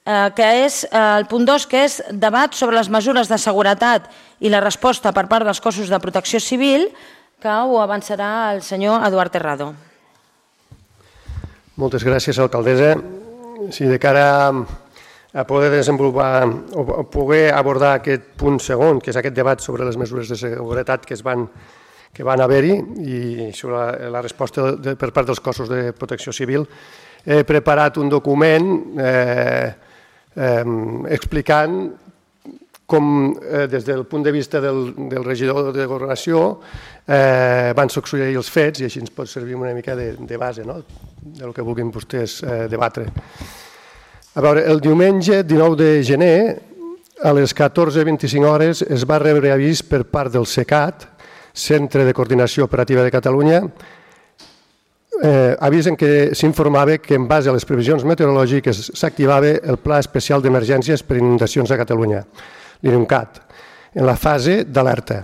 que és el punt 2, que és debat sobre les mesures de seguretat i la resposta per part dels cossos de protecció civil, que ho avançarà el senyor Eduard Terrado. Moltes gràcies, alcaldessa. Sí, de cara a poder desenvolupar o poder abordar aquest punt segon, que és aquest debat sobre les mesures de seguretat que van haver-hi i sobre la resposta per part dels cossos de protecció civil, he preparat un document explicant com des del punt de vista del regidor de Governació van succeir els fets i així ens pot servir una mica de base del que vulguin vostès debatre. A veure, el diumenge 19 de gener a les 14:25 hores es va rebre avís per part del CECAT, Centre de Coordinació Operativa de Catalunya, avís en què s'informava que en base a les previsions meteorològiques s'activava el Pla Especial d'Emergències per Inundacions a Catalunya, l'INUNCAT, en la fase d'alerta.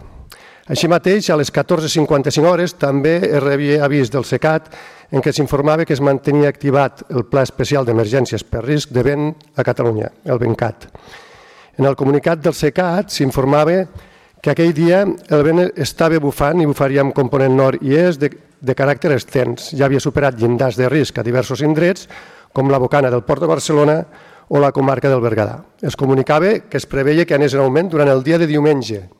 Així mateix, a les 14:55 hores també es rebia avís del CECAT en què s'informava que es mantenia activat el Pla Especial d'Emergències per Risc de Vent a Catalunya, el VENCAT. En el comunicat del CECAT s'informava que aquell dia el vent estava bufant i bufaria amb component nord i est de caràcter extens. Ja havia superat llindars de risc a diversos indrets, com la Bocana del Port de Barcelona o la comarca del Berguedà. Es comunicava que es preveia que anés en augment durant el dia de diumenge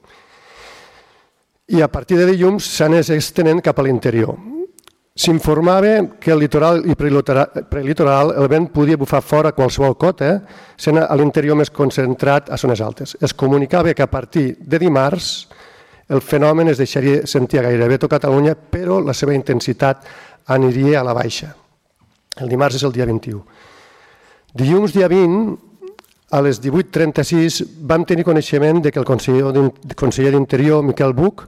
i a partir de dilluns s'anés estenent cap a l'interior. S'informava que al litoral i prelitoral el vent podia bufar fora qualsevol cota, sent a l'interior més concentrat a zones altes. Es comunicava que a partir de dimarts el fenomen es deixaria sentir gairebé tot Catalunya, però la seva intensitat aniria a la baixa. El dimarts és el dia 21. Dilluns, dia 20, a les 18:36, vam tenir coneixement que el conseller d'Interior, Miquel Buch,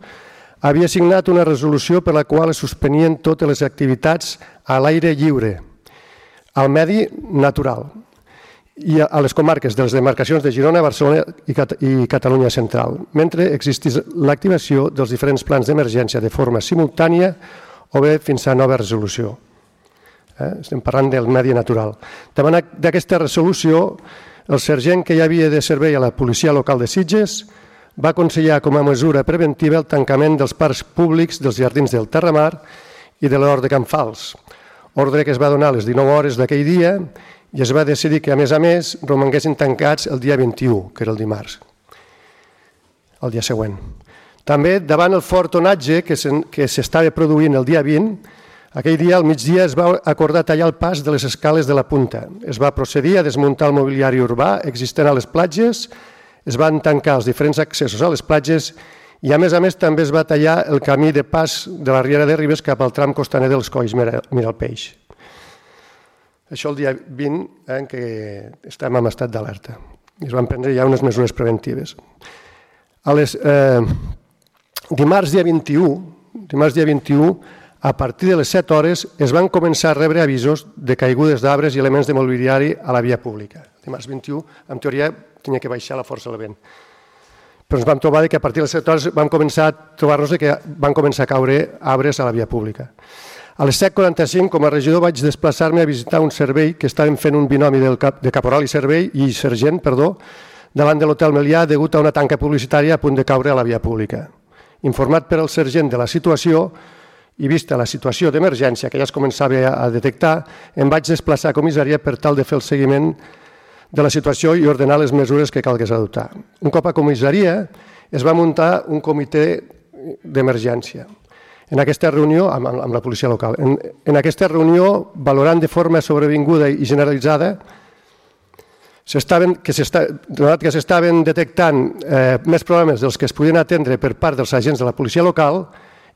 havia signat una resolució per la qual es suspenien totes les activitats a l'aire lliure, al medi natural, i a les comarques de les demarcacions de Girona, Barcelona i Catalunya Central, mentre existís l'activació dels diferents plans d'emergència de forma simultània o bé fins a nova resolució. Estem parlant del medi natural. Davant d'aquesta resolució, el sergent que hi havia de servei a la policia local de Sitges va aconsellar com a mesura preventiva el tancament dels parcs públics dels jardins del Terramar i de l'Hort de Can Fals, ordre que es va donar a les 19 hores d'aquell dia i es va decidir que, a més, romanguessin tancats el dia 21, que era el dimarts, el dia següent. També, davant el fort onatge que s'estava produint el dia 20, aquell dia, al migdia, es va acordar tallar el pas de les escales de la Punta. Es va procedir a desmuntar el mobiliari urbà existent a les platges, es van tancar els diferents accessos a les platges i, a més, també es va tallar el camí de pas de la Riera de Ribes cap al tram costaner dels Colls Miralpeix. Això el dia 20, en què estem en estat d'alerta. Es van prendre ja unes mesures preventives. Dimarts dia 21, a partir de les 7 hores, es van començar a rebre avisos de caigudes d'arbres i elements de mobiliari a la via pública. Dimarts 21, en teoria, tenia que baixar la força del vent. Però ens vam trobar que a partir de les 7 hores vam començar a trobar-nos que van començar a caure arbres a la via pública. A les 7:45, com a regidor, vaig desplaçar-me a visitar un servei que estaven fent un binomi de caporal i sergent, davant de l'Hotel Melià degut a una tanca publicitària a punt de caure a la via pública. Informat per el sergent de la situació i vista la situació d'emergència que ja es començava a detectar, em vaig desplaçar a comissaria per tal de fer el seguiment de la situació i ordenar les mesures que calgués adoptar. Un cop a comissaria es va muntar un comitè d'emergència. En aquesta reunió, amb la policia local, valorant de forma sobrevinguda i generalitzada que s'estaven detectant més problemes dels que es podien atendre per part dels agents de la policia local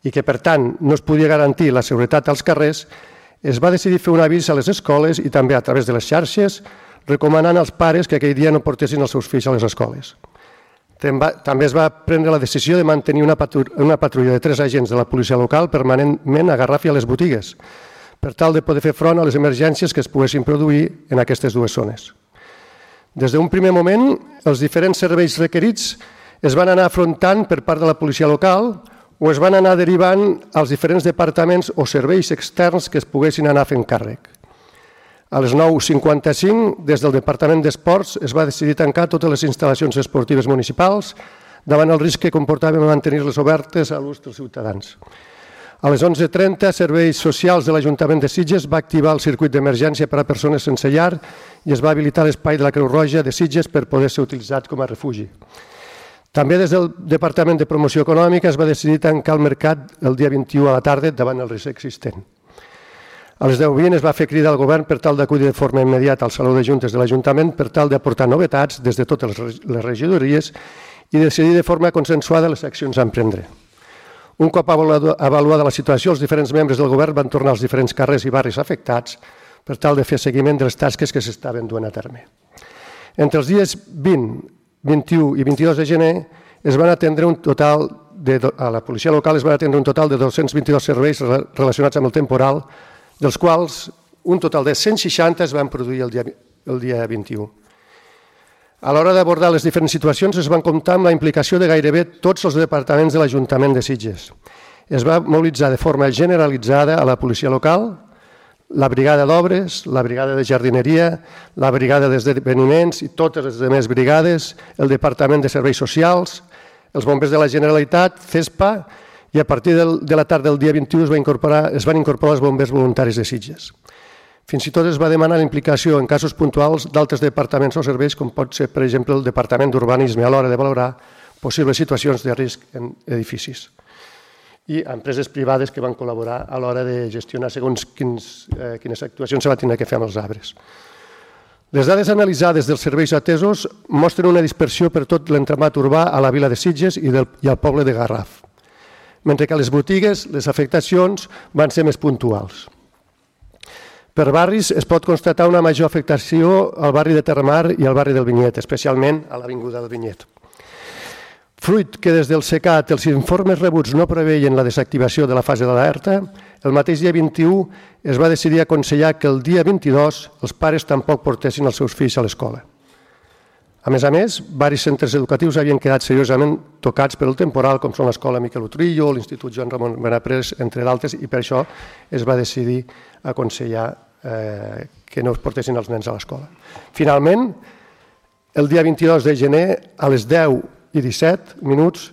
i que, per tant, no es podia garantir la seguretat als carrers, es va decidir fer un avís a les escoles i també a través de les xarxes, recomanant als pares que aquell dia no portessin els seus fills a les escoles. També es va prendre la decisió de mantenir una patrulla de 3 agents de la policia local permanentment a Garraf i a les botigues, per tal de poder fer front a les emergències que es poguessin produir en aquestes dues zones. Des d'un primer moment, els diferents serveis requerits es van anar afrontant per part de la policia local o es van anar derivant als diferents departaments o serveis externs que es poguessin anar fent càrrec. A les 9:55, des del Departament d'Esports, es va decidir tancar totes les instal·lacions esportives municipals davant el risc que comportava mantenir-les obertes a l'ús dels ciutadans. A les 11:30, Serveis Socials de l'Ajuntament de Sitges va activar el circuit d'emergència per a persones sense llar i es va habilitar l'espai de la Creu Roja de Sitges per poder ser utilitzat com a refugi. També des del Departament de Promoció Econòmica es va decidir tancar el mercat el dia 21 a la tarda davant el risc existent. A les 10:20 es va fer crida al govern per tal d'acudir de forma immediata al Saló de Juntes de l'Ajuntament per tal d'aportar novetats des de totes les regidories i decidir de forma consensuada les accions a emprendre. Un cop avaluada la situació, els diferents membres del govern van tornar als diferents carrers i barris afectats per tal de fer seguiment de les tasques que s'estaven duent a terme. Entre els dies 20, 21 i 22 de gener es van atendre a la policia local es van atendre un total de 222 serveis relacionats amb el temporal, dels quals un total de 160 es van produir el dia 21. A l'hora d'abordar les diferents situacions es van comptar amb la implicació de gairebé tots els departaments de l'Ajuntament de Sitges. Es va mobilitzar de forma generalitzada a la policia local, la brigada d'obres, la brigada de jardineria, la brigada d'esdeveniments i totes les altres brigades, el Departament de Serveis Socials, els bombers de la Generalitat, CESPA, i a partir de la tarda del dia 21 es van incorporar els bombers voluntaris de Sitges. Fins i tot es va demanar la implicació en casos puntuals d'altres departaments o serveis, com pot ser, per exemple, el Departament d'Urbanisme a l'hora de valorar possibles situacions de risc en edificis. I empreses privades que van col·laborar a l'hora de gestionar segons quines actuacions se va tenir que fer amb els arbres. Les dades analitzades dels serveis atesos mostren una dispersió per tot l'entramat urbà a la vila de Sitges i al poble de Garraf, mentre que a les botigues les afectacions van ser més puntuals. Per barris es pot constatar una major afectació al barri de Terramar i al barri del Vinyet, especialment a l'avinguda del Vinyet. Fruit que des del SECAT els informes rebuts no preveien la desactivació de la fase d'alerta, el mateix dia 21 es va decidir aconsellar que el dia 22 els pares tampoc portessin els seus fills a l'escola. A més, varis centres educatius havien quedat seriosament tocats per el temporal, com són l'Escola Miquel Utrillo, l'Institut Joan Ramon Benaprés, entre d'altres, i per això es va decidir aconsellar que no es portessin els nens a l'escola. Finalment, el dia 22 de gener, a les 10:17,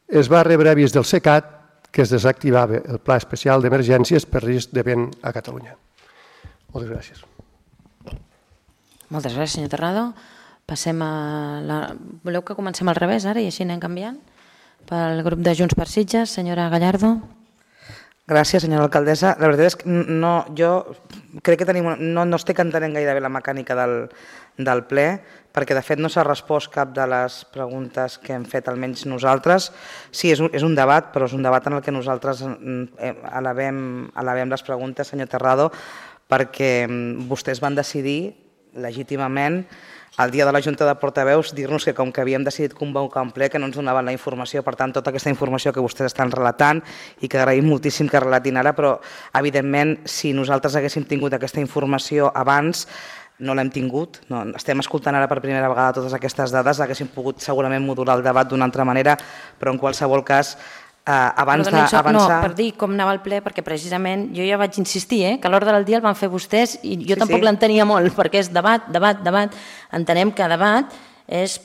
es va rebre avís del SECAT que es desactivava el Pla Especial d'Emergències per risc de vent a Catalunya. Moltes gràcies. Moltes gràcies, senyor Terrado. Passem a la... Voleu que comencem al revés ara i així anem canviant? Pel grup de Junts per Sitges, senyora Gallardo. Gràcies, senyora alcaldessa. La veritat és que jo crec que no estic entenent gaire bé la mecànica del ple, perquè de fet no s'ha respost cap de les preguntes que hem fet, almenys nosaltres. Sí, és un debat, però és un debat en el que nosaltres elevem les preguntes, senyor Terrado, perquè vostès van decidir legítimament el dia de la Junta de Portaveus dir-nos que com que havíem decidit convocar un ple que no ens donaven la informació, per tant tota aquesta informació que vostès estan relatant i que agraïm moltíssim que relatin ara, però evidentment si nosaltres haguéssim tingut aquesta informació abans no l'hem tingut, estem escoltant ara per primera vegada totes aquestes dades, haguéssim pogut segurament modular el debat d'una altra manera, però en qualsevol cas abans d'avançar... No, per dir com anava el ple, perquè precisament jo ja vaig insistir que a l'ordre del dia el van fer vostès i jo tampoc l'entenia molt, perquè és debat. Entenem que debat és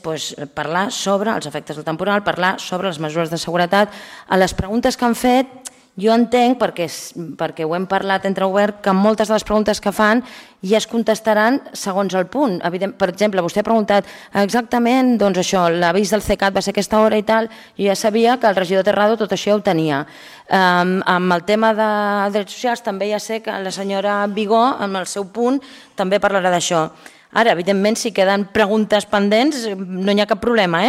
parlar sobre els efectes del temporal, parlar sobre les mesures de seguretat. A les preguntes que han fet, jo entenc, perquè ho hem parlat entre obert, que moltes de les preguntes que fan ja es contestaran segons el punt. Per exemple, vostè ha preguntat exactament, doncs això, l'avís del CECAT va ser aquesta hora i tal, jo ja sabia que el regidor Terrado tot això ja ho tenia. Amb el tema de drets socials també ja sé que la senyora Vigó, amb el seu punt, també parlarà d'això. Ara, evidentment, si queden preguntes pendents, no hi ha cap problema,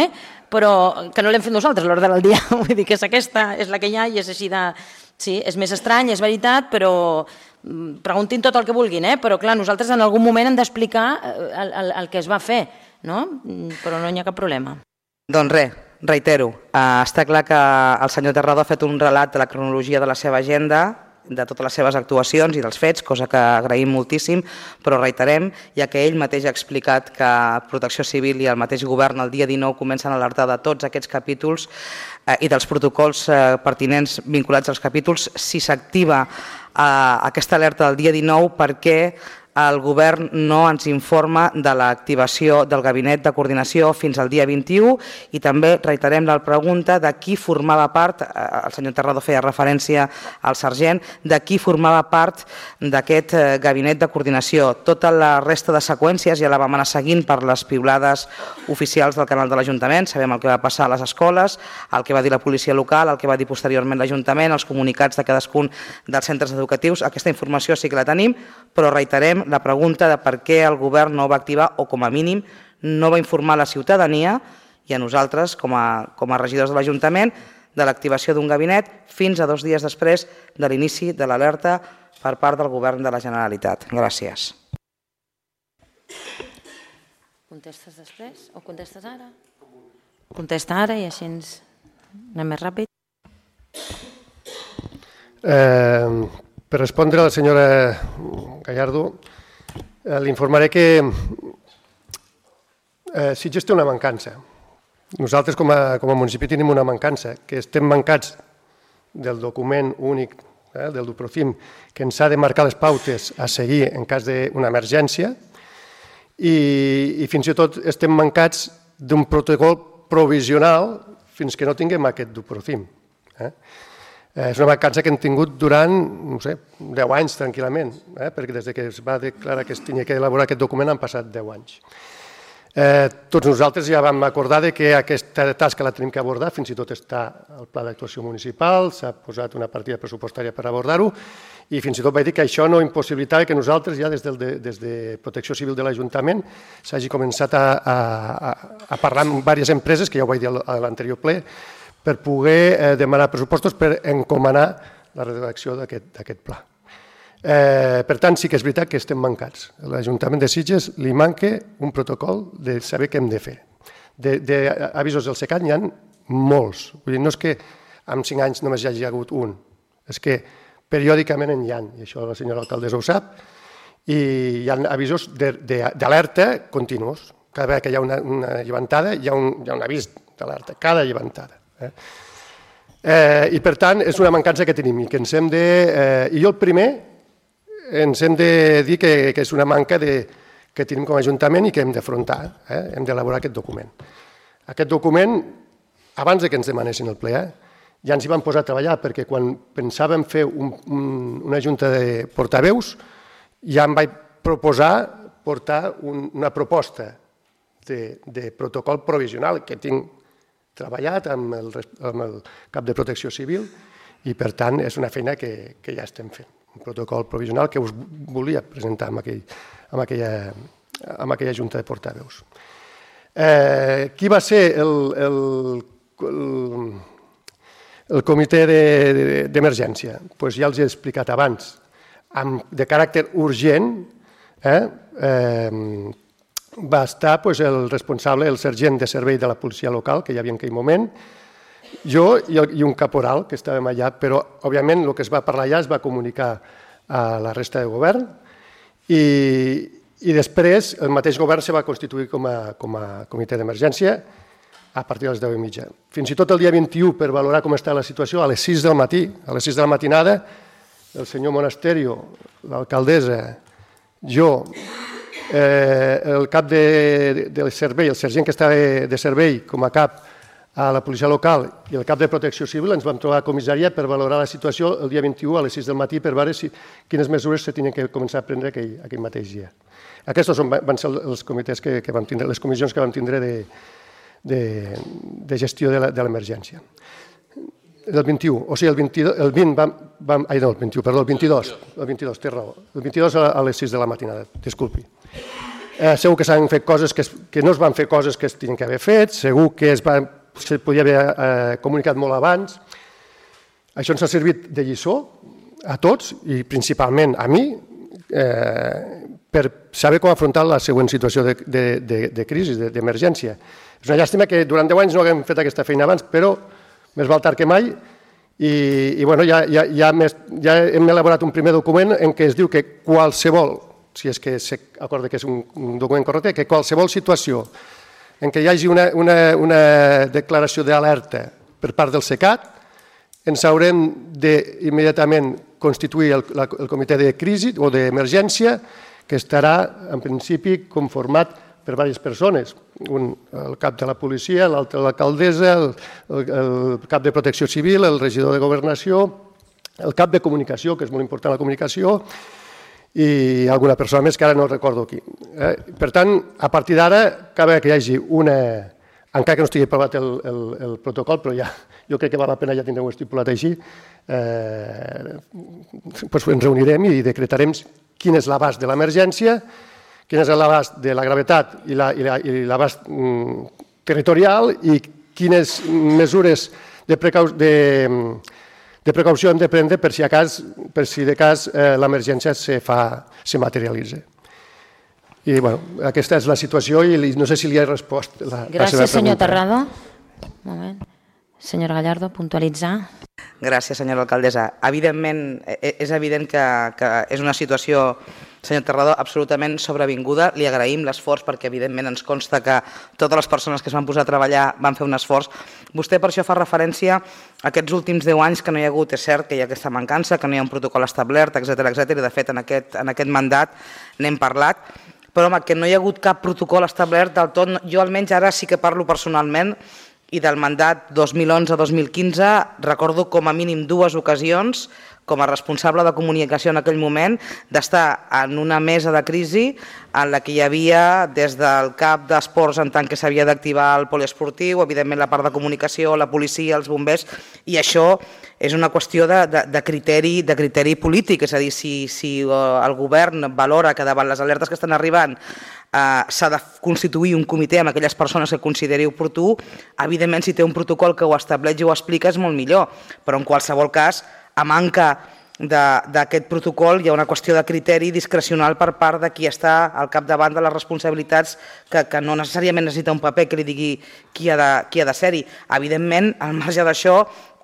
però que no l'hem fet nosaltres a l'ordre del dia. Vull dir que és aquesta, és la que hi ha i és així de... Sí, és més estrany, és veritat, però preguntin tot el que vulguin, però clar, nosaltres en algun moment hem d'explicar el que es va fer, però no hi ha cap problema. Doncs res, reitero, està clar que el senyor Terrado ha fet un relat de la cronologia de la seva agenda, de totes les seves actuacions i dels fets, cosa que agraïm moltíssim, però reiterem, ja que ell mateix ha explicat que Protecció Civil i el mateix govern el dia 19 comencen a alertar de tots aquests capítols i dels protocols pertinents vinculats als capítols. Si s'activa aquesta alerta del dia 19, per què el govern no ens informa de l'activació del gabinet de coordinació fins al dia 21 i també reiterem la pregunta de qui formava part, el senyor Terrado feia referència al sergent, de qui formava part d'aquest gabinet de coordinació. Tota la resta de seqüències ja la vam anar seguint per les piulades oficials del canal de l'Ajuntament, sabem el que va passar a les escoles, el que va dir la policia local, el que va dir posteriorment l'Ajuntament, els comunicats de cadascun dels centres educatius, aquesta informació sí que la tenim, però reiterem la pregunta de per què el govern no va activar o com a mínim no va informar la ciutadania i a nosaltres com a regidors de l'Ajuntament de l'activació d'un gabinet fins a 2 dies després de l'inici de l'alerta per part del govern de la Generalitat. Gràcies. Contestes després o contestes ara? Contesta ara i així anem més ràpid. Per respondre a la senyora Gallardo, li informaré que Sitges té una mancança. Nosaltres com a municipi tenim una mancança, que estem mancats del document únic del Duprocim que ens ha de marcar les pautes a seguir en cas d'una emergència i fins i tot estem mancats d'un protocol provisional fins que no tinguem aquest Duprocim. És una mancança que hem tingut durant, no sé, 10 anys tranquil·lament, perquè des que es va declarar que es tenia que elaborar aquest document han passat 10 anys. Tots nosaltres ja vam acordar que aquesta tasca la tenim que abordar, fins i tot està al pla d'actuació municipal, s'ha posat una partida pressupostària per abordar-ho i fins i tot vaig dir que això no impossibilitava que nosaltres ja des de Protecció Civil de l'Ajuntament s'hagi començat a parlar amb diverses empreses, que ja ho vaig dir a l'anterior ple, per poder demanar pressupostos per encomanar la redacció d'aquest pla. Per tant, sí que és veritat que estem mancats. A l'Ajuntament de Sitges li manca un protocol de saber què hem de fer. D'avisos del SECAT n'hi ha molts. No és que en 5 anys només hi hagi hagut un, és que periòdicament n'hi ha, i això la senyora alcaldessa ho sap, i hi ha avisos d'alerta continus. Cada vegada que hi ha una llevantada hi ha un avís d'alerta, cada llevantada. I per tant és una mancança que tenim i que ens hem de... I jo el primer ens hem de dir que és una manca que tenim com a Ajuntament i que hem d'afrontar, hem d'elaborar aquest document. Aquest document, abans que ens demanessin el ple, ja ens hi vam posar a treballar perquè quan pensàvem fer una junta de portaveus ja em vaig proposar portar una proposta de protocol provisional que tinc treballat amb el cap de Protecció Civil i, per tant, és una feina que ja estem fent. Un protocol provisional que us volia presentar amb aquella junta de portaveus. Qui va ser el comitè d'emergència? Doncs ja els he explicat abans. De caràcter urgent, va estar el responsable, el sergent de servei de la policia local, que hi havia en aquell moment, jo i un caporal que estàvem allà, però, òbviament, el que es va parlar allà es va comunicar a la resta de govern i després el mateix govern se va constituir com a comitè d'emergència a partir de les 10:30. Fins i tot el dia 21, per valorar com està la situació, a les 6 del matí, a les 6 de la matinada, el senyor Monasterio, l'alcaldessa, jo, el cap de servei, el sergent que estava de servei com a cap a la policia local i el cap de Protecció Civil ens vam trobar a comissària per valorar la situació el dia 21 a les 6 del matí per veure quines mesures se tenien que començar a prendre aquell mateix dia. Aquests van ser els comitès que vam tindre, les comissions que vam tindre de gestió de l'emergència. El 21, o sigui, el 22, té raó, el 22 a les 6 de la matinada, disculpi. Segur que s'han fet coses que no es van fer coses que es tenien que haver fet, segur que se podia haver comunicat molt abans. Això ens ha servit de lliçó a tots i principalment a mi per saber com afrontar la següent situació de crisi, d'emergència. És una llàstima que durant 10 anys no haguem fet aquesta feina abans, però més val tard que mai i ja hem elaborat un primer document en què es diu que qualsevol, si és que s'acorda que és un document correcte, que qualsevol situació en què hi hagi una declaració d'alerta per part del SECAT, ens haurem d'immediatament constituir el comitè de crisi o d'emergència que estarà, en principi, conformat per diverses persones. El cap de la policia, l'altre l'alcaldessa, el cap de protecció civil, el regidor de governació, el cap de comunicació, que és molt important la comunicació, i alguna persona més que ara no recordo qui. Per tant, a partir d'ara, cal que hi hagi una... Encara que no estigui aprovat el protocol, però ja, jo crec que val la pena ja tindre-ho estipulat així, ens reunirem i decretarem quin és l'abast de l'emergència, quin és l'abast de la gravetat i l'abast territorial i quines mesures de precaució hem de prendre per si de cas l'emergència se materialitza. I aquesta és la situació i no sé si li he respost la seva pregunta. Gràcies, senyor Terrado. Un moment. Senyora Gallardo, puntualitzar. Gràcies, senyora alcaldessa. Evidentment, és evident que és una situació, senyor Terrado, absolutament sobrevinguda. Li agraïm l'esforç perquè, evidentment, ens consta que totes les persones que es van posar a treballar van fer un esforç. Vostè per això fa referència a aquests últims 10 anys que no hi ha hagut, és cert que hi ha aquesta mancança, que no hi ha un protocol establert, etcètera, i de fet en aquest mandat n'hem parlat, però home, que no hi ha hagut cap protocol establert del tot. Jo almenys ara sí que parlo personalment i del mandat 2011-2015 recordo com a mínim 2 ocasions com a responsable de comunicació en aquell moment, d'estar en una mesa de crisi en la que hi havia des del cap d'esports en tant que s'havia d'activar el poliesportiu, evidentment la part de comunicació, la policia, els bombers, i això és una qüestió de criteri polític, és a dir, si el govern valora que davant les alertes que estan arribant s'ha de constituir un comitè amb aquelles persones que consideri oportú, evidentment si té un protocol que ho estableix i ho explica és molt millor, però en qualsevol cas, a manca d'aquest protocol hi ha una qüestió de criteri discrecional per part de qui està al capdavant de les responsabilitats que no necessàriament necessita un paper que li digui qui ha de ser-hi. Evidentment, al marge d'això,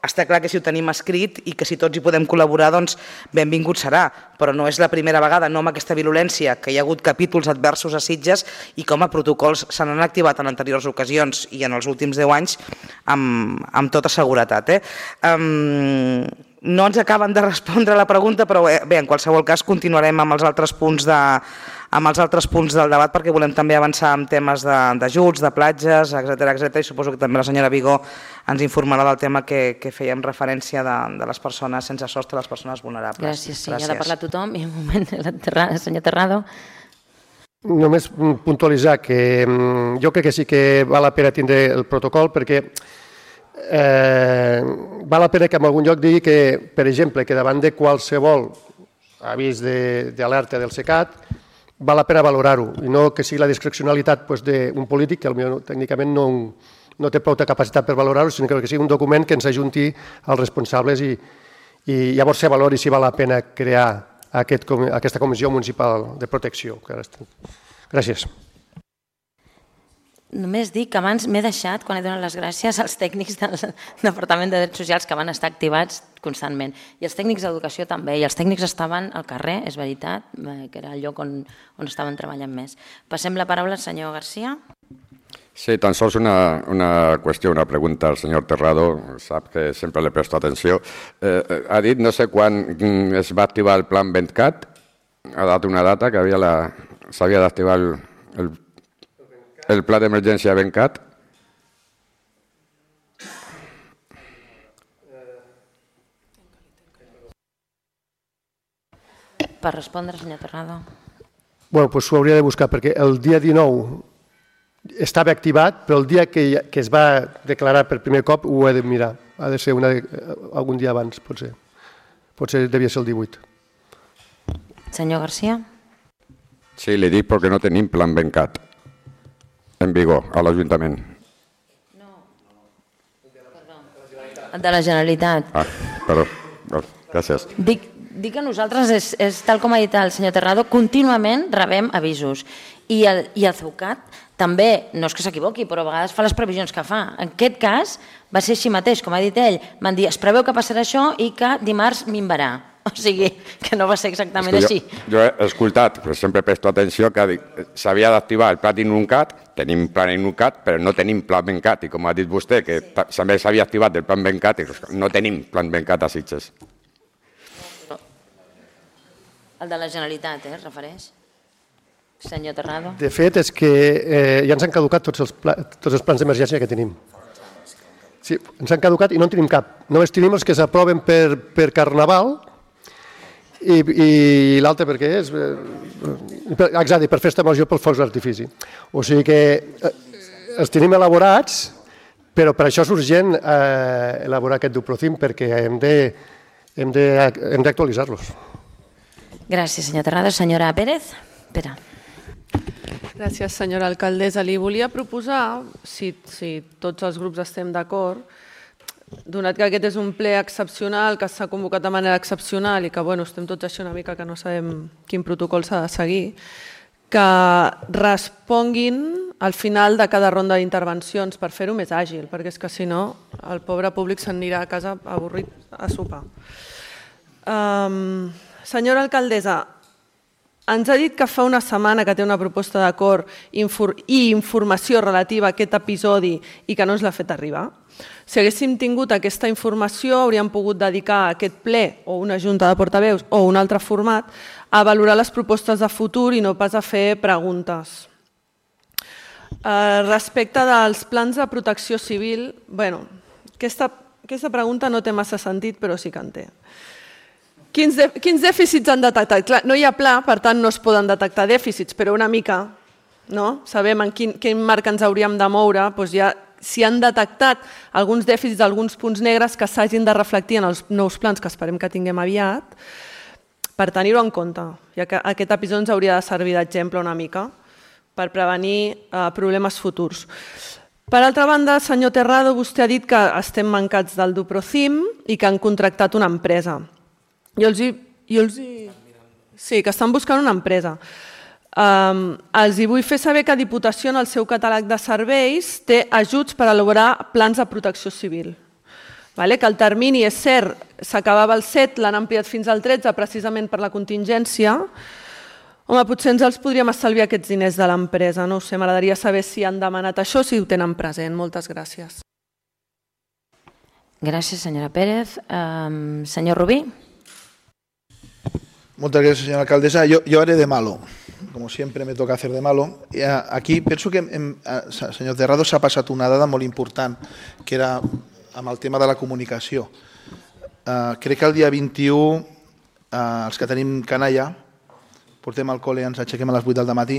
està clar que si ho tenim escrit i que si tots hi podem col·laborar, doncs benvingut serà, però no és la primera vegada, no amb aquesta violència, que hi ha hagut capítols adversos a Sitges i com a protocols se n'han activat en anteriors ocasions i en els últims 10 anys amb tota seguretat. No ens acaben de respondre a la pregunta, però bé, en qualsevol cas continuarem amb els altres punts del debat perquè volem també avançar en temes d'ajuts, de platges, etcètera, i suposo que també la senyora Vigó ens informarà del tema que fèiem referència de les persones sense sostre, les persones vulnerables. Gràcies, sí, ja ha de parlar tothom i un moment, senyor Terrado. Només puntualitzar que jo crec que sí que val la pena tindre el protocol perquè val la pena que en algun lloc digui que, per exemple, que davant de qualsevol avís d'alerta del SECAT val la pena valorar-ho i no que sigui la discrecionalitat d'un polític que potser tècnicament no té prou capacitat per valorar-ho, sinó que sigui un document que ens ajunti als responsables i llavors se valori si val la pena crear aquesta comissió municipal de protecció. Gràcies. Només dic que abans m'he deixat, quan he donat les gràcies, als tècnics del Departament de Drets Socials que van estar activats constantment. I els tècnics d'educació també. I els tècnics estaven al carrer, és veritat, que era el lloc on estaven treballant més. Passem la paraula al senyor García. Sí, tan sols una qüestió, una pregunta al senyor Terrado, sap que sempre li presto atenció. Ha dit no sé quan es va activar el plan Ventcat, ha dat una data que s'havia d'activar el pla d'emergència Ventcat. Per respondre, senyor Terrado. Bé, doncs ho hauria de buscar, perquè el dia 19 estava activat, però el dia que es va declarar per primer cop ho he de mirar. Ha de ser algun dia abans, potser. Potser devia ser el 18. Senyor García. Sí, li dic perquè no tenim plan Ventcat en vigor a l'Ajuntament. No, el de la Generalitat. Perdó, gràcies. Dic que nosaltres, és tal com ha dit el senyor Terrado, contínuament rebem avisos. I el CEUCAT també, no és que s'equivoqui, però a vegades fa les previsions que fa. En aquest cas va ser així mateix, com ha dit ell. Van dir, es preveu que passarà això i que dimarts minvarà. O sigui, que no va ser exactament així. Jo he escoltat, però sempre presto atenció, que s'havia d'activar el pla Inuncat, tenim plan Inuncat, però no tenim plan Ventcat. I com ha dit vostè, que també s'havia activat el plan Ventcat, no tenim plan Ventcat a Sitges. El de la Generalitat, es refereix? Senyor Terrado. De fet, és que ja ens han caducat tots els plans d'emergència que tenim. Sí, ens han caducat i no en tenim cap. Només tenim els que s'aproven per Carnaval i l'altre per què és? Exacte, per Festa Major pels focs d'artifici. O sigui que els tenim elaborats, però per això és urgent elaborar aquest Duprocim perquè hem d'actualitzar-los. Gràcies, senyor Terrado. Senyora Pérez? Espera. Gràcies, senyora alcaldessa. Li volia proposar, si tots els grups estem d'acord, donat que aquest és un ple excepcional, que s'ha convocat de manera excepcional i que estem tots així una mica que no sabem quin protocol s'ha de seguir, que responguin al final de cada ronda d'intervencions per fer-ho més àgil, perquè és que si no el pobre públic s'anirà a casa avorrit a sopar. Senyora alcaldessa, ens ha dit que fa una setmana que té una proposta d'acord i informació relativa a aquest episodi i que no ens l'ha fet arribar. Si haguéssim tingut aquesta informació, hauríem pogut dedicar aquest ple o una junta de portaveus o un altre format a valorar les propostes de futur i no pas a fer preguntes. Respecte dels plans de protecció civil, aquesta pregunta no té massa sentit, però sí que en té. Quins dèficits han detectat? Clar, no hi ha pla, per tant no es poden detectar dèficits, però una mica, sabem en quin marc ens hauríem de moure, si han detectat alguns dèficits, alguns punts negres que s'hagin de reflectir en els nous plans que esperem que tinguem aviat, per tenir-ho en compte. Aquest episodi ens hauria de servir d'exemple una mica per prevenir problemes futurs. Per altra banda, senyor Terrado, vostè ha dit que estem mancats del Duprocim i que han contractat una empresa. Sí, que estan buscant una empresa. Els vull fer saber que Diputació en el seu catàleg de serveis té ajuts per elaborar plans de protecció civil. Que el termini, és cert, s'acabava el 7, l'han ampliat fins al 13 precisament per la contingència. Home, potser ens els podríem estalviar aquests diners de l'empresa, no ho sé, m'agradaria saber si han demanat això, si ho tenen present. Moltes gràcies. Gràcies, senyora Pérez. Senyor Rubí? Muchas gracias, señora alcaldesa. Yo haré de malo, como siempre me toca hacer de malo. Aquí penso que, senyor Terrado, s'ha passat una dada molt important, que era amb el tema de la comunicació. Crec que el dia 21, els que tenim canalla, portem al col·le, ens aixequem a les 8 del matí,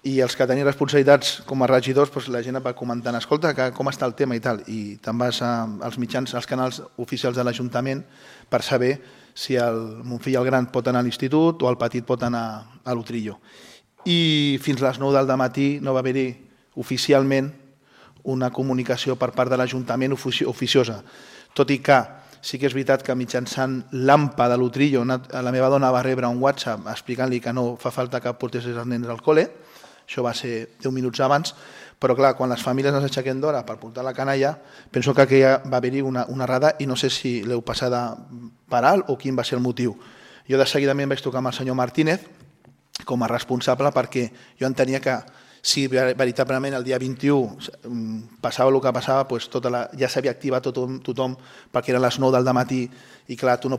i els que tenim responsabilitats com a regidors, la gent va comentant, escolta, com està el tema i tal, i te'n vas als mitjans, als canals oficials de l'Ajuntament per saber si mon fill el gran pot anar a l'institut o el petit pot anar a l'Utrillo. I fins a les 9 del matí no va haver-hi oficialment una comunicació per part de l'Ajuntament oficiosa. Tot i que sí que és veritat que mitjançant l'AMPA de l'Utrillo la meva dona va rebre un WhatsApp explicant-li que no fa falta que portés els nens al col·le, això va ser 10 minuts abans, però clar, quan les famílies ens aixequem d'hora per portar la canalla, penso que aquí va haver-hi una errada i no sé si l'heu passada per alt o quin va ser el motiu. Jo de seguidament vaig tocar amb el senyor Martínez com a responsable perquè jo entenia que si veritablement el dia 21 passava el que passava, ja s'havia activat tothom perquè eren les 9 del matí i clar, tu no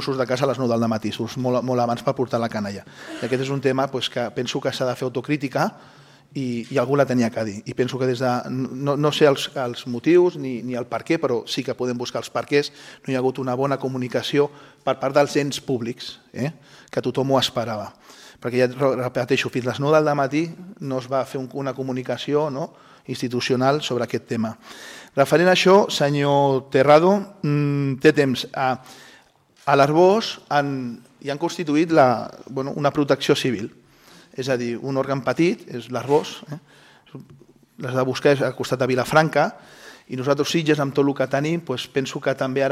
surts de casa a les 9 del matí, surts molt abans per portar la canalla. I aquest és un tema que penso que s'ha de fer autocrítica i algú la tenia que dir. I penso que des de... No sé els motius ni el per què, però sí que podem buscar els perquès. No hi ha hagut una bona comunicació per part dels ens públics, que tothom ho esperava. Perquè ja repeteixo, fins a les 9 del matí no es va fer una comunicació institucional sobre aquest tema. Referent a això, senyor Terrado, té temps. A l'Arbós hi han constituït una protecció civil. És a dir, un òrgan petit, és l'Arbós, les de buscar és al costat de Vilafranca, i nosaltres Sitges, amb tot el que tenim, penso que també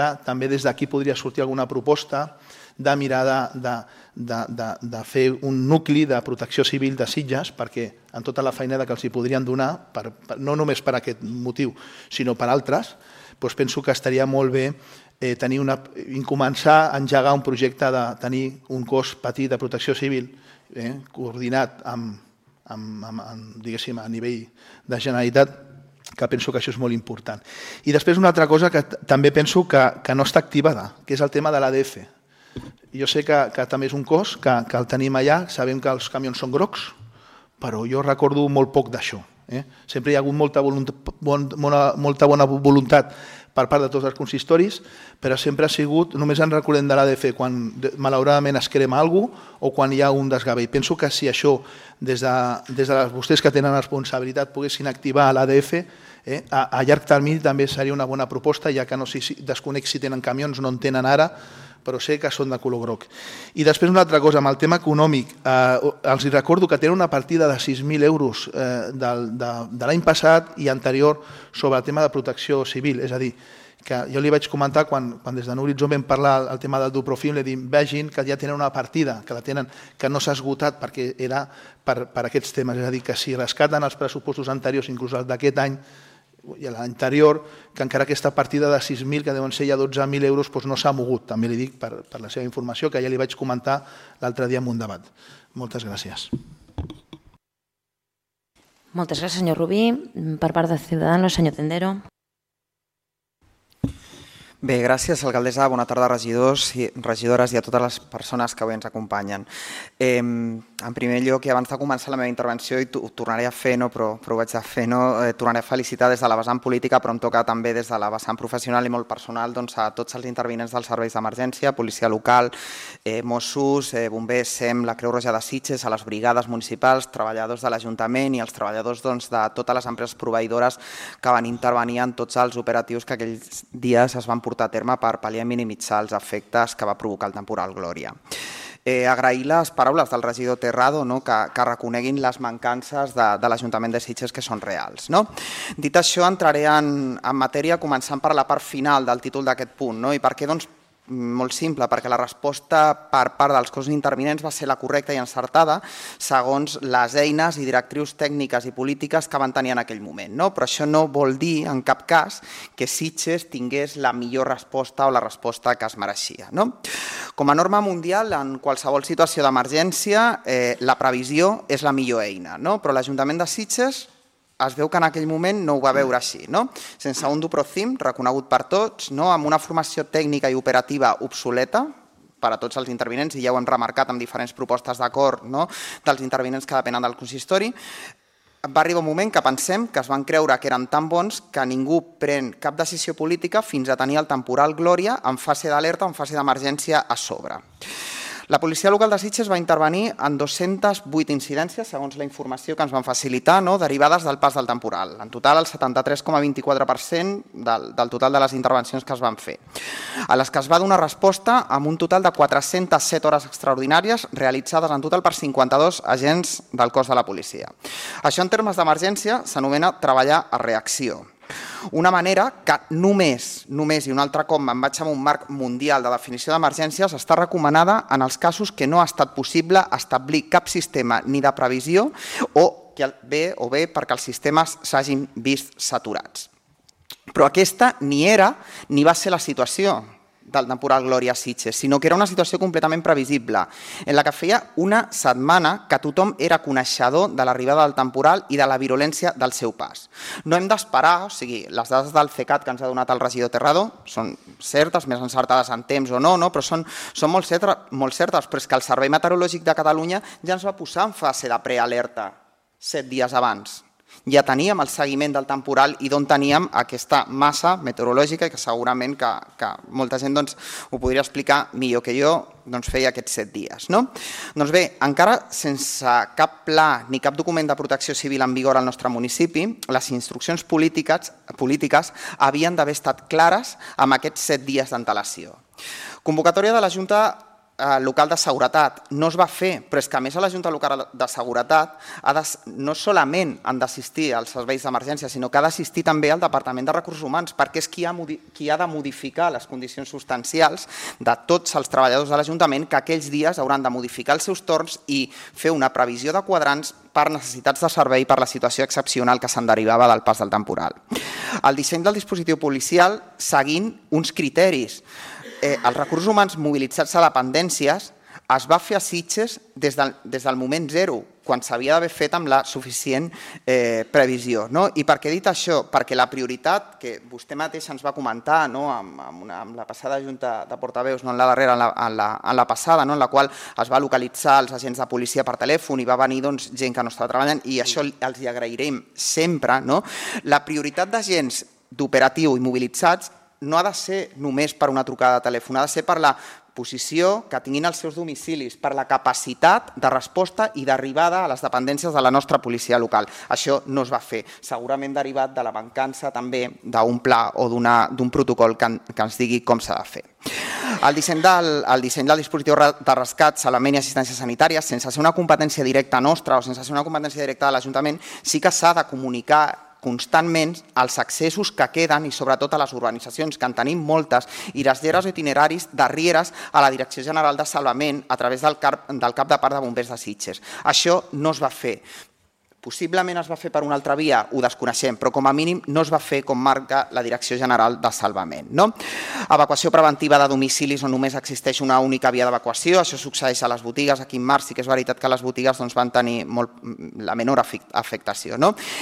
des d'aquí podria sortir alguna proposta de mirar de fer un nucli de protecció civil de Sitges, perquè en tota la feinada que els hi podrien donar, no només per aquest motiu, sinó per altres, penso que estaria molt bé començar a engegar un projecte de tenir un cos petit de protecció civil coordinat a nivell de Generalitat, que penso que això és molt important. I després una altra cosa que també penso que no està activada, que és el tema de l'ADF. Jo sé que també és un cos, que el tenim allà, sabem que els camions són grocs, però jo recordo molt poc d'això. Sempre hi ha hagut molta bona voluntat per part de tots els consistoris, però sempre ha sigut, només ens recordem de l'ADF quan malauradament es crema alguna cosa o quan hi ha un desgavell. Penso que si això, des de vostès que tenen responsabilitat, poguessin activar l'ADF, a llarg termini també seria una bona proposta, ja que no desconec si tenen camions, no en tenen ara, però sé que són de color groc. I després una altra cosa, amb el tema econòmic, els recordo que tenen una partida de 6.000 euros de l'any passat i anterior sobre el tema de protecció civil, és a dir, que jo li vaig comentar quan des de Horitzó vam parlar el tema del Duprofim, li dic, vegin que ja tenen una partida, que no s'ha esgotat perquè era per aquests temes, és a dir, que si rescaten els pressupostos anteriors, inclús el d'aquest any, i a l'anterior, que encara aquesta partida de 6.000, que deuen ser ja 12.000 euros, no s'ha mogut. També li dic per la seva informació, que ja li vaig comentar l'altre dia en un debat. Moltes gràcies. Moltes gràcies, senyor Rubí. Per part de Ciudadanos, senyor Tendero. Bé, gràcies, alcaldessa. Bona tarda, regidors i regidores i a totes les persones que avui ens acompanyen. En primer lloc, i abans de començar la meva intervenció, i ho tornaré a fer, però ho vaig a fer, tornaré a felicitar des de la vessant política, però em toca també des de la vessant professional i molt personal a tots els intervinents dels serveis d'emergència, policia local, Mossos, bombers, SEM, la Creu Roja de Sitges, a les brigades municipals, treballadors de l'Ajuntament i els treballadors de totes les empreses proveïdores que van intervenir en tots els operatius que aquells dies es van portar a terme per pal·liar i minimitzar els efectes que va provocar el temporal Glòria. Agrair les paraules del regidor Terrado, que reconeguin les mancances de l'Ajuntament de Sitges que són reals. Dit això, entraré en matèria començant per la part final del títol d'aquest punt. I per què? Doncs molt simple, perquè la resposta per part dels cossos intervinents va ser la correcta i encertada segons les eines i directrius tècniques i polítiques que van tenir en aquell moment. Però això no vol dir, en cap cas, que Sitges tingués la millor resposta o la resposta que es mereixia. Com a norma mundial, en qualsevol situació d'emergència, la previsió és la millor eina, però l'Ajuntament de Sitges es veu que en aquell moment no ho va veure així. Sense un Duprofim reconegut per tots, amb una formació tècnica i operativa obsoleta per a tots els intervinents, i ja ho hem remarcat amb diferents propostes d'acord dels intervinents que depenen del consistori, va arribar un moment que pensem que es van creure que eren tan bons que ningú pren cap decisió política fins a tenir el temporal Glòria en fase d'alerta o en fase d'emergència a sobre. La policia local de Sitges va intervenir en 208 incidències, segons la informació que ens van facilitar, derivades del pas del temporal. En total, el 73,24% del total de les intervencions que es van fer, a les que es va donar resposta amb un total de 407 hores extraordinàries realitzades en total per 52 agents del cos de la policia. Això en termes d'emergència s'anomena treballar a reacció. Una manera que només, i un altre cop me'n vaig amb un marc mundial de definició d'emergències, està recomanada en els casos que no ha estat possible establir cap sistema ni de previsió o bé perquè els sistemes s'hagin vist saturats. Però aquesta ni era ni va ser la situació del temporal Glòria a Sitges, sinó que era una situació completament previsible, en la que feia una setmana que tothom era coneixedor de l'arribada del temporal i de la virulència del seu pas. No hem d'esperar, les dades del CECAT que ens ha donat el regidor Terrado són certes, més encertades en temps o no, però són molt certes, però és que el Servei Meteorològic de Catalunya ja ens va posar en fase de prealerta 7 dies abans. Ja teníem el seguiment del temporal i d'on teníem aquesta massa meteorològica que segurament que molta gent ho podria explicar millor que jo, feia aquests 7 dies. Doncs bé, encara sense cap pla ni cap document de protecció civil en vigor al nostre municipi, les instruccions polítiques havien d'haver estat clares amb aquests 7 dies d'antelació. Convocatòria de la Junta Local de Seguretat no es va fer, però és que a més a la Junta Local de Seguretat no solament han d'assistir als serveis d'emergència, sinó que ha d'assistir també al Departament de Recursos Humans, perquè és qui ha de modificar les condicions substancials de tots els treballadors de l'Ajuntament que aquells dies hauran de modificar els seus torns i fer una previsió de quadrants per necessitats de servei per la situació excepcional que se'n derivava del pas del temporal. El disseny del dispositiu policial seguint uns criteris. Els recursos humans mobilitzats a dependències es va fer a Sitges des del moment zero. quan s'havia d'haver fet amb la suficient previsió. I per què he dit això? Perquè la prioritat que vostè mateix ens va comentar amb la passada Junta de Portaveus, no en la darrera, en la passada, en la qual es va localitzar els agents de policia per telèfon i va venir gent que no estava treballant, i això els hi agrairem sempre. La prioritat d'agents d'operatiu i mobilitzats no ha de ser només per una trucada de telèfon, ha de ser per la posició que tinguin els seus domicilis, per la capacitat de resposta i d'arribada a les dependències de la nostra policia local. Això no es va fer, segurament derivat de la mancança també d'un pla o d'un protocol que ens digui com s'ha de fer. El disseny del dispositiu de rescat, salvament i assistència sanitària, sense ser una competència directa nostra o sense ser una competència directa de l'Ajuntament, sí que s'ha de comunicar constantment els accessos que queden i sobretot a les urbanitzacions, que en tenim moltes, i les lleres o itineraris d'arrieres a la Direcció General de Salvament a través del cap de part de bombers de Sitges. Això no es va fer. Possiblement es va fer per una altra via, ho desconeixem, però com a mínim no es va fer com marca la Direcció General de Salvament. Evacuació preventiva de domicilis on només existeix una única via d'evacuació, això succeeix a les botigues, aquí en març sí que és veritat que les botigues van tenir la menor afectació.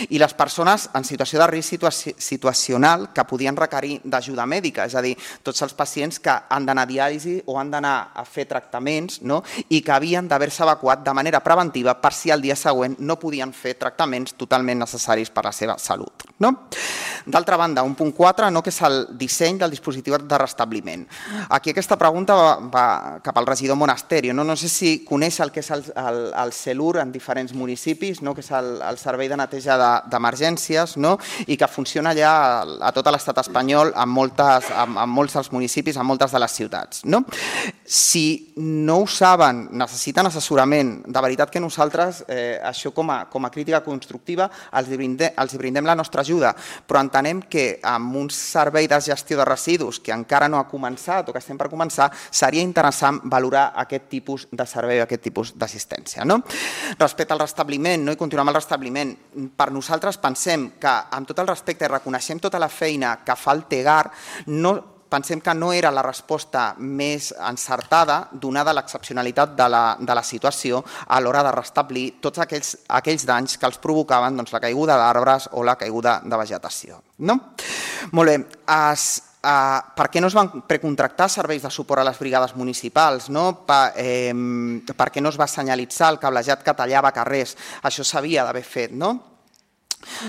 I les persones en situació de risc situacional que podien requerir d'ajuda mèdica, és a dir, tots els pacients que han d'anar a diàlisi o han d'anar a fer tractaments i que havien d'haver-se evacuat de manera preventiva per si el dia següent no podien fer tractaments totalment necessaris per a la seva salut. D'altra banda, un punt 4, que és el disseny del dispositiu de restabliment. Aquí aquesta pregunta va cap al regidor Monasterio. No sé si coneix el que és el CELUR en diferents municipis, que és el Servei de Neteja d'Emergències, i que funciona ja a tot l'estat espanyol, en molts dels municipis, en moltes de les ciutats. Si no ho saben, necessiten assessorament, de veritat que nosaltres, això com a crítica constructiva, els brindem la nostra ajuda, però entenem que amb un servei de gestió de residus que encara no ha començat o que estem per començar, seria interessant valorar aquest tipus de servei, aquest tipus d'assistència. Respecte al restabliment, i continuar amb el restabliment, per nosaltres pensem que, amb tot el respecte, reconeixem tota la feina que fa el TEGAR, pensem que no era la resposta més encertada, donada l'excepcionalitat de la situació a l'hora de restablir tots aquells danys que els provocaven la caiguda d'arbres o la caiguda de vegetació. Molt bé, per què no es van precontractar serveis de suport a les brigades municipals? Per què no es va senyalitzar el cablejat que tallava carrers? Això s'havia d'haver fet,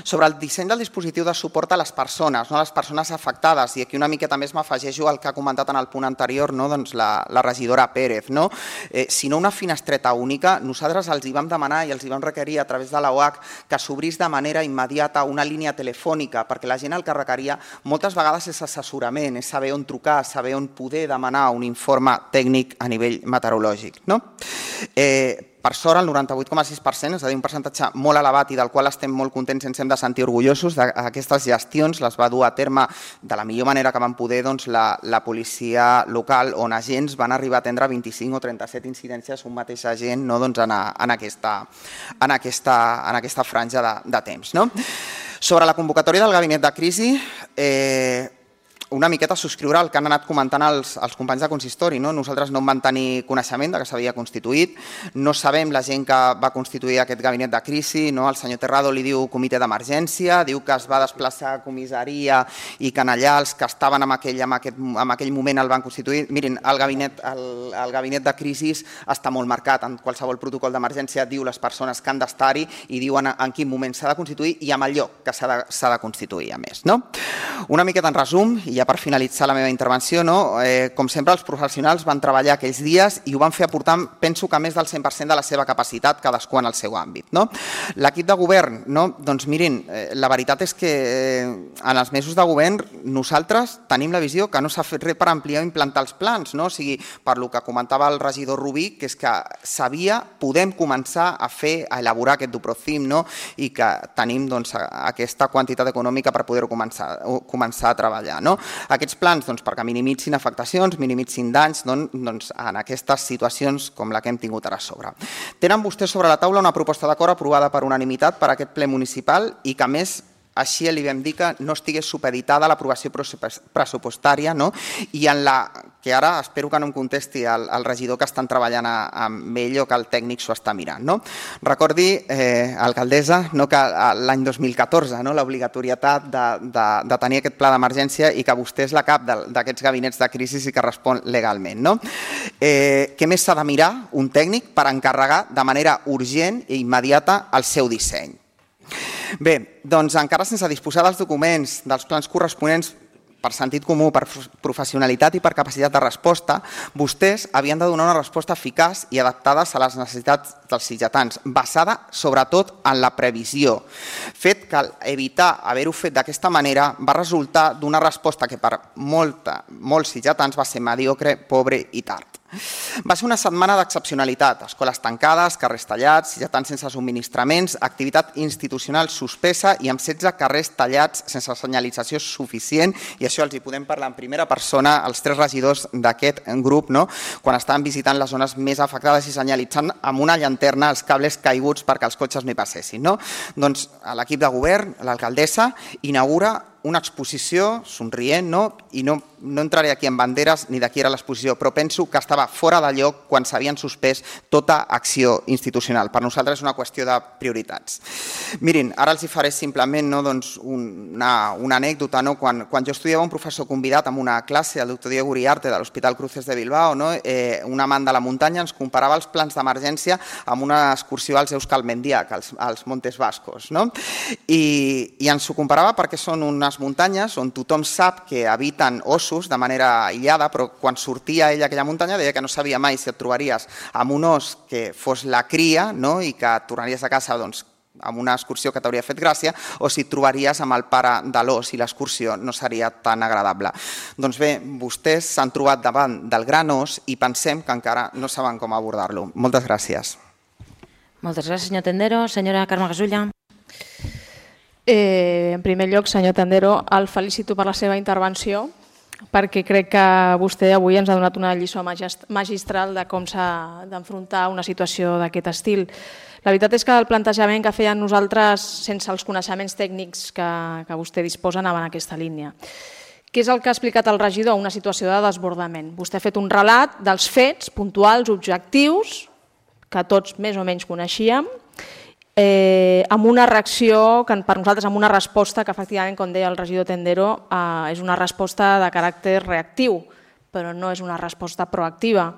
Sobre el disseny del dispositiu de suport a les persones afectades, i aquí una miqueta més m'afegeixo al que ha comentat en el punt anterior la regidora Pérez. Si no una finestreta única, nosaltres els hi vam demanar i els hi vam requerir a través de l'OAC que s'obrís de manera immediata una línia telefònica, perquè la gent el que requeria moltes vegades és assessorament, és saber on trucar, saber on poder demanar un informe tècnic a nivell meteorològic. Per sort, el 98,6%, és a dir, un percentatge molt elevat i del qual estem molt contents i ens hem de sentir orgullosos, d'aquestes gestions les va dur a terme de la millor manera que van poder la policia local, on agents van arribar a atendre 25 o 37 incidències un mateix agent en aquesta franja de temps. Sobre la convocatòria del gabinet de crisi, una miqueta subscriure el que han anat comentant els companys de consistori. Nosaltres no en vam tenir coneixement que s'havia constituït, no sabem la gent que va constituir aquest gabinet de crisi, el senyor Terrado li diu comitè d'emergència, diu que es va desplaçar a comissaria i que allà els que estaven en aquell moment el van constituir. Mirin, el gabinet de crisi està molt marcat, en qualsevol protocol d'emergència diu les persones que han d'estar-hi i diuen en quin moment s'ha de constituir i amb el lloc que s'ha de constituir, a més. Una miqueta en resum, i ja per finalitzar la meva intervenció, com sempre els professionals van treballar aquells dies i ho van fer aportant, penso que més del 100% de la seva capacitat, cadascú en el seu àmbit. L'equip de govern, doncs mirin, la veritat és que en els mesos de govern nosaltres tenim la visió que no s'ha fet res per ampliar o implantar els plans, o sigui, per lo que comentava el regidor Rubí, que és que podem començar a elaborar aquest Duprocim i que tenim aquesta quantitat econòmica per poder-ho començar a treballar. Aquests plans, perquè minimitzin afectacions, minimitzin danys en aquestes situacions com la que hem tingut ara a sobre. Tenen vostès sobre la taula una proposta d'acord aprovada per unanimitat per aquest ple municipal i que, a més, així li vam dir que no estigués supeditada a l'aprovació pressupostària i en la que ara espero que no em contesti el regidor que estan treballant amb ell o que el tècnic s'ho està mirant. Recordi, alcaldessa, que l'any 2014 l'obligatorietat de tenir aquest pla d'emergència i que vostè és la cap d'aquests gabinets de crisi i que respon legalment. Què més s'ha de mirar un tècnic per encarregar de manera urgent i immediata el seu disseny? Bé, doncs encara sense disposar dels documents, dels plans corresponents per sentit comú, per professionalitat i per capacitat de resposta, vostès havien de donar una resposta eficaç i adaptada a les necessitats dels sitgetans, basada sobretot en la previsió. Fet que evitar haver-ho fet d'aquesta manera va resultar d'una resposta que per molts sitgetans va ser mediocre, pobre i tard. Va ser una setmana d'excepcionalitat, escoles tancades, carrers tallats, sitgetans sense subministraments, activitat institucional suspesa i amb 16 carrers tallats sense senyalització suficient, i això els hi podem parlar en primera persona els 3 regidors d'aquest grup, quan estaven visitant les zones més afectades i senyalitzant amb una llanterna els cables caiguts perquè els cotxes no hi passessin. Doncs l'equip de govern, l'alcaldessa, inaugura una exposició somrient, i no entraré aquí en banderes ni de qui era l'exposició, però penso que estava fora de lloc quan s'havien suspès tota acció institucional. Per nosaltres és una qüestió de prioritats. Mirin, ara els hi faré simplement una anècdota. Quan jo estudiava, un professor convidat en una classe, el doctor Diego Uriarte de l'Hospital Cruces de Bilbao, un amant de la muntanya, ens comparava els plans d'emergència amb una excursió als Euskal Mendiak, als Montes Vascos. I ens ho comparava perquè són unes muntanyes on tothom sap que habiten ossos de manera aïllada, però quan sortia ell a aquella muntanya deia que no sabia mai si et trobaries amb un os que fos la cria i que et tornaries a casa amb una excursió que t'hauria fet gràcia, o si et trobaries amb el pare de l'os i l'excursió no seria tan agradable. Doncs bé, vostès s'han trobat davant del gran os i pensem que encara no saben com abordar-lo. Moltes gràcies. Moltes gràcies, senyor Tendero. Senyora Carme Gasulla. En primer lloc, senyor Tendero, el felicito per la seva intervenció, perquè crec que vostè avui ens ha donat una lliçó magistral de com s'ha d'enfrontar una situació d'aquest estil. La veritat és que el plantejament que feien nosaltres, sense els coneixements tècnics que vostè disposa, anava en aquesta línia. Què és el que ha explicat el regidor? Una situació de desbordament. Vostè ha fet un relat dels fets puntuals, objectius, que tots més o menys coneixíem, amb una reacció, per nosaltres amb una resposta que efectivament, com deia el regidor Tendero, és una resposta de caràcter reactiu, però no és una resposta proactiva.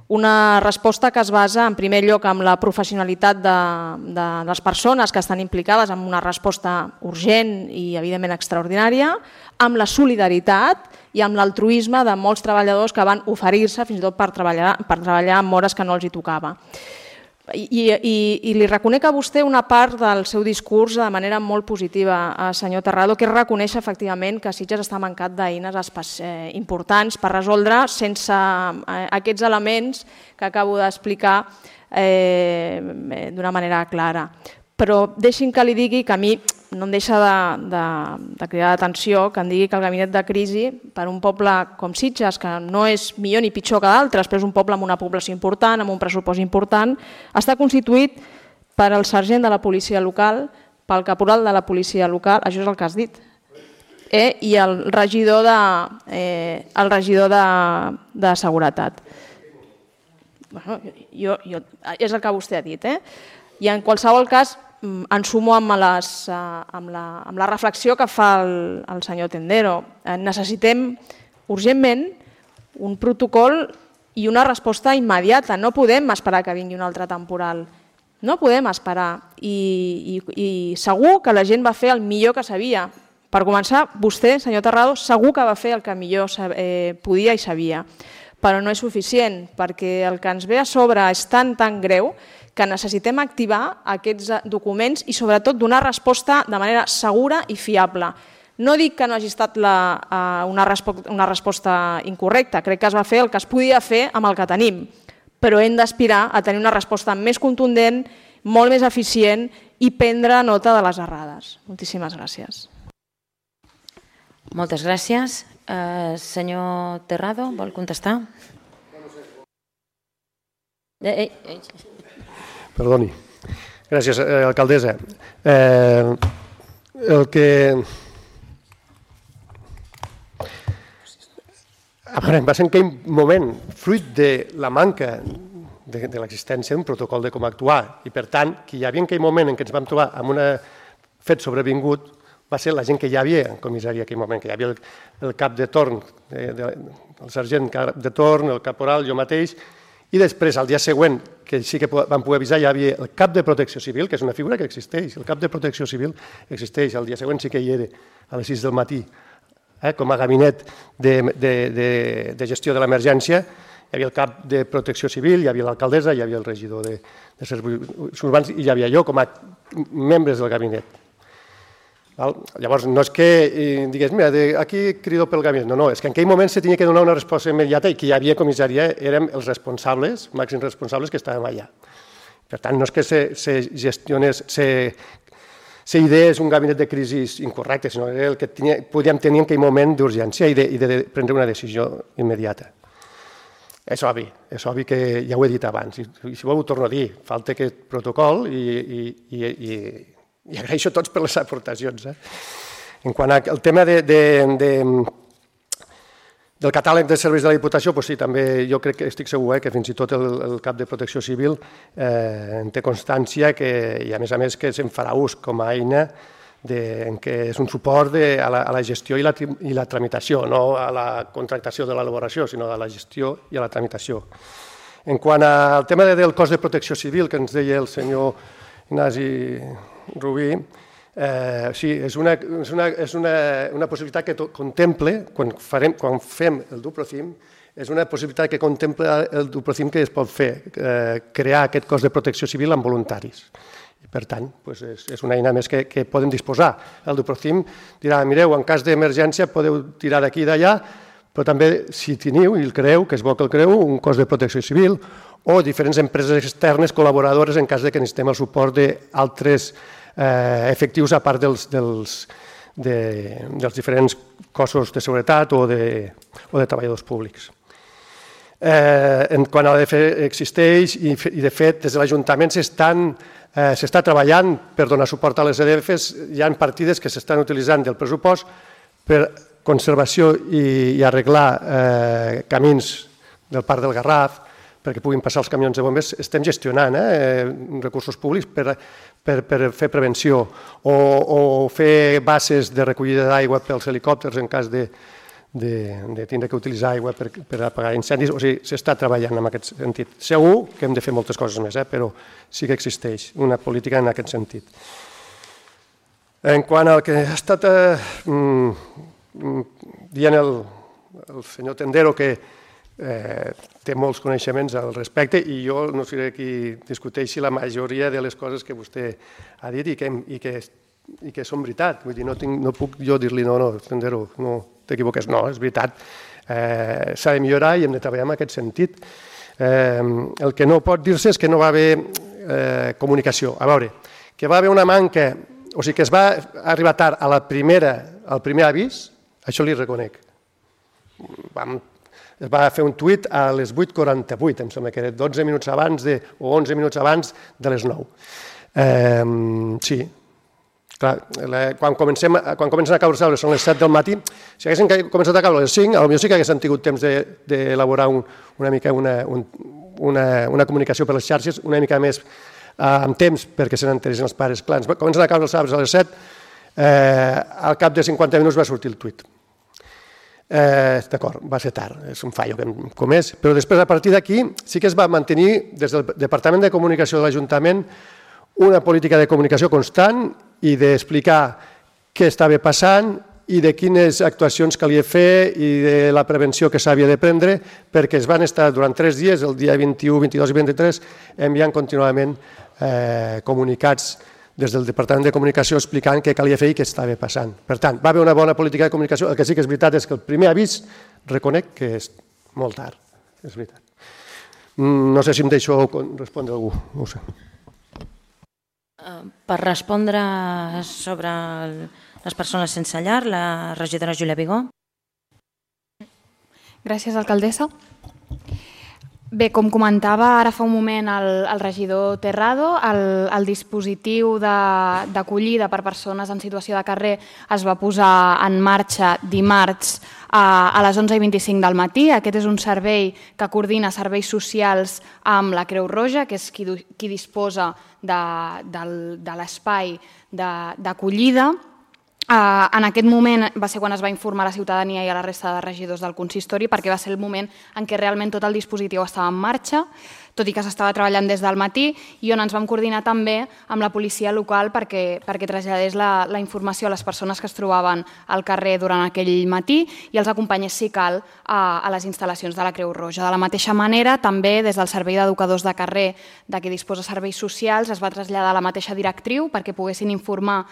Una resposta que es basa en primer lloc en la professionalitat de les persones que estan implicades en una resposta urgent i evidentment extraordinària, amb la solidaritat i amb l'altruisme de molts treballadors que van oferir-se fins i tot per treballar en hores que no els hi tocava. I li reconec a vostè una part del seu discurs de manera molt positiva, senyor Terrado, que és reconèixer efectivament que Sitges està mancat d'eines importants per resoldre sense aquests elements que acabo d'explicar d'una manera clara. Però deixi'm que li digui que a mi no em deixa de cridar l'atenció que em digui que el gabinet de crisi, per un poble com Sitges, que no és millor ni pitjor que d'altres, però és un poble amb una població important, amb un pressupost important, està constituït per el sergent de la policia local, pel caporal de la policia local, això és el que has dit, i el regidor de seguretat. És el que vostè ha dit. I en qualsevol cas, em sumo amb la reflexió que fa el senyor Tendero. Necessitem urgentment un protocol i una resposta immediata. No podem esperar que vingui un altre temporal. No podem esperar. I segur que la gent va fer el millor que sabia. Per començar, vostè, senyor Terrado, segur que va fer el que millor podia i sabia. Però no és suficient, perquè el que ens ve a sobre és tan greu que necessitem activar aquests documents i sobretot donar resposta de manera segura i fiable. No dic que no hagi estat una resposta incorrecta, crec que es va fer el que es podia fer amb el que tenim, però hem d'aspirar a tenir una resposta més contundent, molt més eficient i prendre nota de les errades. Moltíssimes gràcies. Moltes gràcies. Senyor Terrado, vol contestar? Perdoni. Gràcies, alcaldessa. Va ser en aquell moment, fruit de la manca de l'existència d'un protocol de com actuar, i per tant, que hi havia en aquell moment en què ens vam trobar amb un fet sobrevingut, va ser la gent que hi havia en comissària en aquell moment, que hi havia el cap de torn, el sergent de torn, el caporal, jo mateix, i després, al dia següent, que sí que vam poder avisar, hi havia el cap de protecció civil, que és una figura que existeix, el cap de protecció civil existeix, el dia següent sí que hi era, a les 6 del matí, com a gabinet de gestió de l'emergència. Hi havia el cap de protecció civil, hi havia l'alcaldessa, hi havia el regidor de serveis urbans i hi havia jo com a membres del gabinet. Llavors, no és que digués, mira, aquí crido pel gabinet. No, és que en aquell moment se tenia que donar una resposta immediata i que hi havia comissària, érem els responsables, màxims responsables que estàvem allà. Per tant, no és que se gestionés, se ideés un gabinet de crisi incorrecte, sinó era el que podíem tenir en aquell moment d'urgència i de prendre una decisió immediata. És obvi que ja ho he dit abans, i si vol ho torno a dir, falta aquest protocol i agraeixo a tots per les aportacions. En quant al tema del catàleg de serveis de la Diputació, sí, també jo crec que estic segur que fins i tot el cap de Protecció Civil en té constància i a més que se'n farà ús com a eina que és un suport a la gestió i la tramitació, no a la contractació de l'elaboració, sinó a la gestió i a la tramitació. En quant al tema del cos de protecció civil, que ens deia el senyor Ignasi Rubí, sí, és una possibilitat que contemple, quan fem el Duprocim, és una possibilitat que contempla el Duprocim que es pot fer, crear aquest cos de protecció civil amb voluntaris. Per tant, és una eina més que podem disposar. El Duprocim dirà, mireu, en cas d'emergència podeu tirar d'aquí i d'allà, però també si teniu, i el creeu, que és bo que el creeu, un cos de protecció civil o diferents empreses externes col·laboradores en cas que necessitem el suport d'altres efectius a part dels diferents cossos de seguretat o de treballadors públics. En quant a l'ADF existeix i de fet des de l'Ajuntament s'està treballant per donar suport a les ADFs, hi ha partides que s'estan utilitzant del pressupost per conservació i arreglar camins del Parc del Garraf perquè puguin passar els camions de bombers. Estem gestionant recursos públics per fer prevenció o fer bases de recollida d'aigua pels helicòpters en cas de tindre que utilitzar aigua per apagar incendis. O sigui, s'està treballant en aquest sentit. Segur que hem de fer moltes coses més, però sí que existeix una política en aquest sentit. En quant al que ha estat dient el senyor Tendero, que té molts coneixements al respecte i jo no seré qui discuteixi la majoria de les coses que vostè ha dit i que són veritat. Vull dir, no puc jo dir-li no, Tendero, no t'equivoques. No, és veritat. S'ha de millorar i hem de treballar en aquest sentit. El que no pot dir-se és que no va haver comunicació. A veure, que va haver una manca, o sigui que es va arribar tard al primer avís, això li reconec. Es va fer un tuit a les 8:48, em sembla que era 12 minuts abans o 11 minuts abans de les 9. Sí, clar, quan comencen a caure les són les 7 del matí, si haguessin començat a caure les 5, potser sí que haguessin tingut temps d'elaborar una mica una comunicació per les xarxes, una mica més amb temps perquè se n'enteressin els pares. Clar, comencen a caure els arbres a les 7, al cap de 50 minuts va sortir el tuit. D'acord, va ser tard, és un fallo que hem comès, però després a partir d'aquí sí que es va mantenir des del Departament de Comunicació de l'Ajuntament una política de comunicació constant i d'explicar què estava passant i de quines actuacions calia fer i de la prevenció que s'havia de prendre, perquè es van estar durant 3 dies, el dia 21, 22 i 23, enviant contínuament comunicats des del Departament de Comunicació explicant què calia fer i què estava passant. Per tant, va haver una bona política de comunicació. El que sí que és veritat és que el primer avís reconec que és molt tard. És veritat. No sé si em deixo respondre algú. No ho sé. Per respondre sobre les persones sense llar, la regidora Júlia Vigó. Gràcies, alcaldessa. Bé, com comentava ara fa un moment el regidor Terrado, el dispositiu d'acollida per persones en situació de carrer es va posar en marxa dimarts a les 11:25 del matí. Aquest és un servei que coordina serveis socials amb la Creu Roja, que és qui disposa de l'espai d'acollida. En aquest moment va ser quan es va informar a la ciutadania i a la resta de regidors del consistori, perquè va ser el moment en què realment tot el dispositiu estava en marxa, tot i que s'estava treballant des del matí, i on ens vam coordinar també amb la policia local perquè traslladés la informació a les persones que es trobaven al carrer durant aquell matí i els acompanyés, si cal, a les instal·lacions de la Creu Roja. De la mateixa manera, també des del Servei d'Educadors de Carrer, de què disposa serveis socials, es va traslladar la mateixa directriu perquè poguessin informar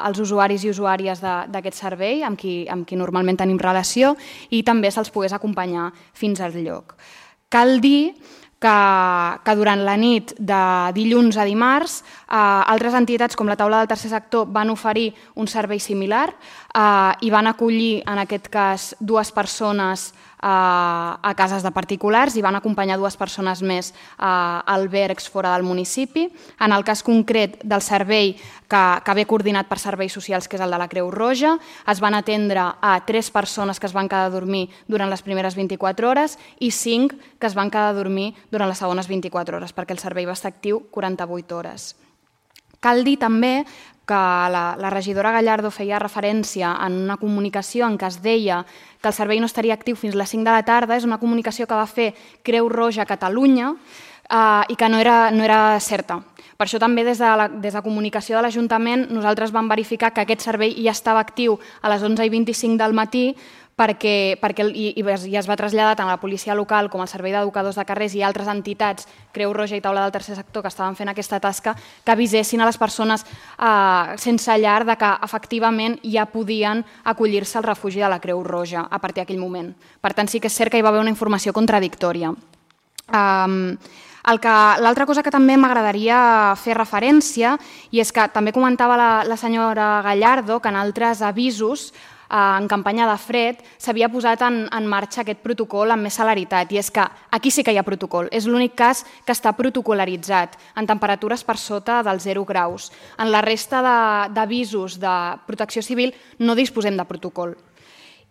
els usuaris i usuàries d'aquest servei, amb qui normalment tenim relació, i també se'ls pogués acompanyar fins al lloc. Cal dir que durant la nit de dilluns a dimarts altres entitats com la Taula del Tercer Sector van oferir un servei similar i van acollir en aquest cas 2 persones a cases de particulars i van acompanyar 2 persones més a albergs fora del municipi. En el cas concret del servei que ve coordinat per serveis socials, que és el de la Creu Roja, es van atendre a 3 persones que es van quedar a dormir durant les primeres 24 hores i 5 que es van quedar a dormir durant les segones 24 hores, perquè el servei va estar actiu 48 hores. Cal dir també que la regidora Gallardo feia referència en una comunicació en què es deia que el servei no estaria actiu fins les 5 de la tarda. És una comunicació que va fer Creu Roja Catalunya i que no era certa. Per això també des de comunicació de l'Ajuntament nosaltres vam verificar que aquest servei ja estava actiu a les 11:25 del matí i es va traslladar tant a la policia local com al Servei d'Educadors de Carrers i altres entitats, Creu Roja i Taula del Tercer Sector, que estaven fent aquesta tasca, que avisessin a les persones sense llar de que efectivament ja podien acollir-se al refugi de la Creu Roja a partir d'aquell moment. Per tant, sí que és cert que hi va haver una informació contradictòria. L'altra cosa que també m'agradaria fer referència, i és que també comentava la senyora Gallardo que en altres avisos en campanya de fred s'havia posat en marxa aquest protocol amb més celeritat, i és que aquí sí que hi ha protocol, és l'únic cas que està protocolaritzat en temperatures per sota dels 0 graus. En la resta d'avisos de protecció civil no disposem de protocol.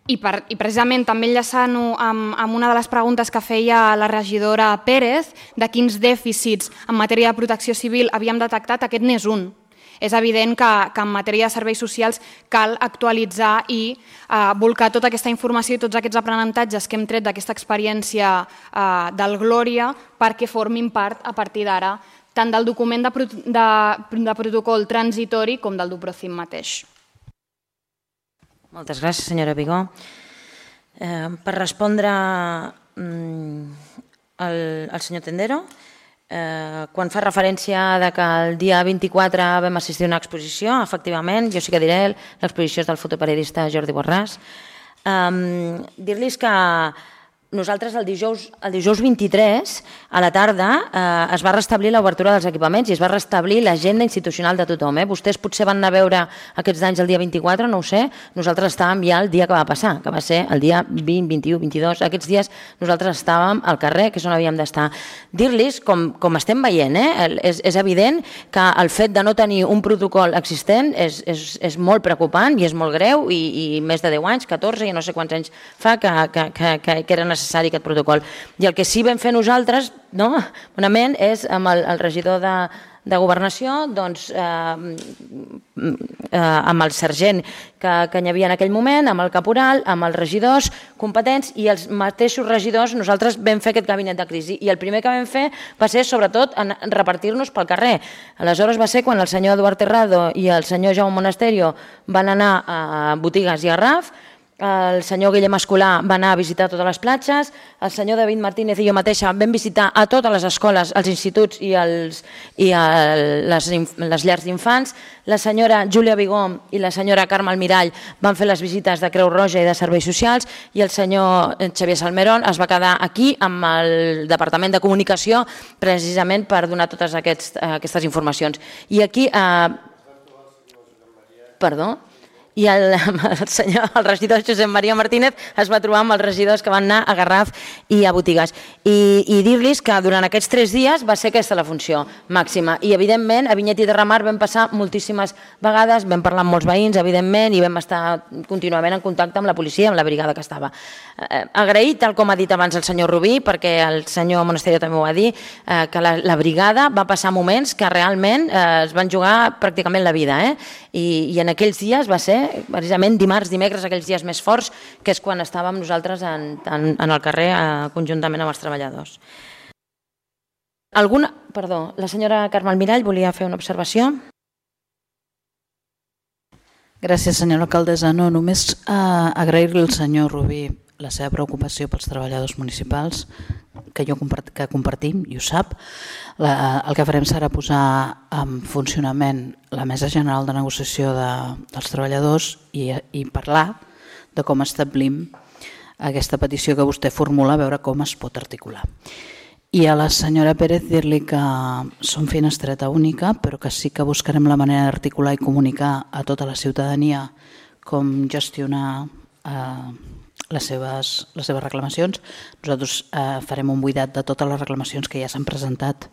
I precisament també enllaçant-ho amb una de les preguntes que feia la regidora Pérez de quins dèficits en matèria de protecció civil havíem detectat, aquest n'és un. És evident que en matèria de serveis socials cal actualitzar i volcar tota aquesta informació i tots aquests aprenentatges que hem tret d'aquesta experiència del Glòria perquè formin part a partir d'ara tant del document de protocol transitori com del DUPROCIM mateix. Moltes gràcies, senyora Vigó. Per respondre al senyor Tendero, quan fa referència que el dia 24 vam assistir a una exposició, efectivament, jo sí que diré, l'exposició és del fotoperiodista Jordi Borràs. Dir-los que nosaltres el dijous 23 a la tarda es va restablir l'obertura dels equipaments i es va restablir l'agenda institucional de tothom. Vostès potser van anar a veure aquests danys el dia 24, no ho sé, nosaltres estàvem ja el dia que va passar, que va ser el dia 20, 21, 22, aquests dies nosaltres estàvem al carrer, que és on havíem d'estar. Dir-los, com estem veient, és evident que el fet de no tenir un protocol existent és molt preocupant i és molt greu i més de 10 anys, 14, ja no sé quants anys fa que era necessari aquest protocol. I el que sí vam fer nosaltres, bonament, és amb el regidor de Governació, amb el sergent que hi havia en aquell moment, amb el caporal, amb els regidors competents i els mateixos regidors, nosaltres vam fer aquest gabinet de crisi. I el primer que vam fer va ser, sobretot, repartir-nos pel carrer. Aleshores va ser quan el senyor Eduard Terrado i el senyor Jaume Monasterio van anar a Botigues i a RAF, el senyor Guillem Escolà va anar a visitar totes les platges, el senyor David Martínez i jo mateixa vam visitar a totes les escoles, els instituts i les llars d'infants, la senyora Júlia Vigó i la senyora Carme Almirall van fer les visites de Creu Roja i de Serveis Socials i el senyor Xavier Salmerón es va quedar aquí amb el Departament de Comunicació precisament per donar totes aquestes informacions. I aquí... Perdó? i el regidor Josep Maria Martínez es va trobar amb els regidors que van anar a Garraf i a Botigues. I dir-los que durant aquests 3 dies va ser aquesta la funció màxima. I, evidentment, a Vinyet i Terramar vam passar moltíssimes vegades, vam parlar amb molts veïns, evidentment, i vam estar contínuament en contacte amb la policia, amb la brigada que estava. Agrair, tal com ha dit abans el senyor Rubí, perquè el senyor Monasterio també ho va dir, que la brigada va passar moments que realment es van jugar pràcticament la vida. I en aquells dies va ser precisament dimarts, dimecres, aquells dies més forts, que és quan estàvem nosaltres en el carrer conjuntament amb els treballadors. La senyora Carme Almirall volia fer una observació. Gràcies, senyora alcaldessa. No, només agrair-li al senyor Rubí la seva preocupació pels treballadors municipals, que compartim, i ho sap. El que farem serà posar en funcionament la Mesa General de Negociació dels Treballadors i parlar de com establim aquesta petició que vostè formula, a veure com es pot articular. I a la senyora Pérez dir-li que som finestreta única, però que sí que buscarem la manera d'articular i comunicar a tota la ciutadania com gestionar les seves reclamacions. Nosaltres farem un buidat de totes les reclamacions que ja s'han presentat,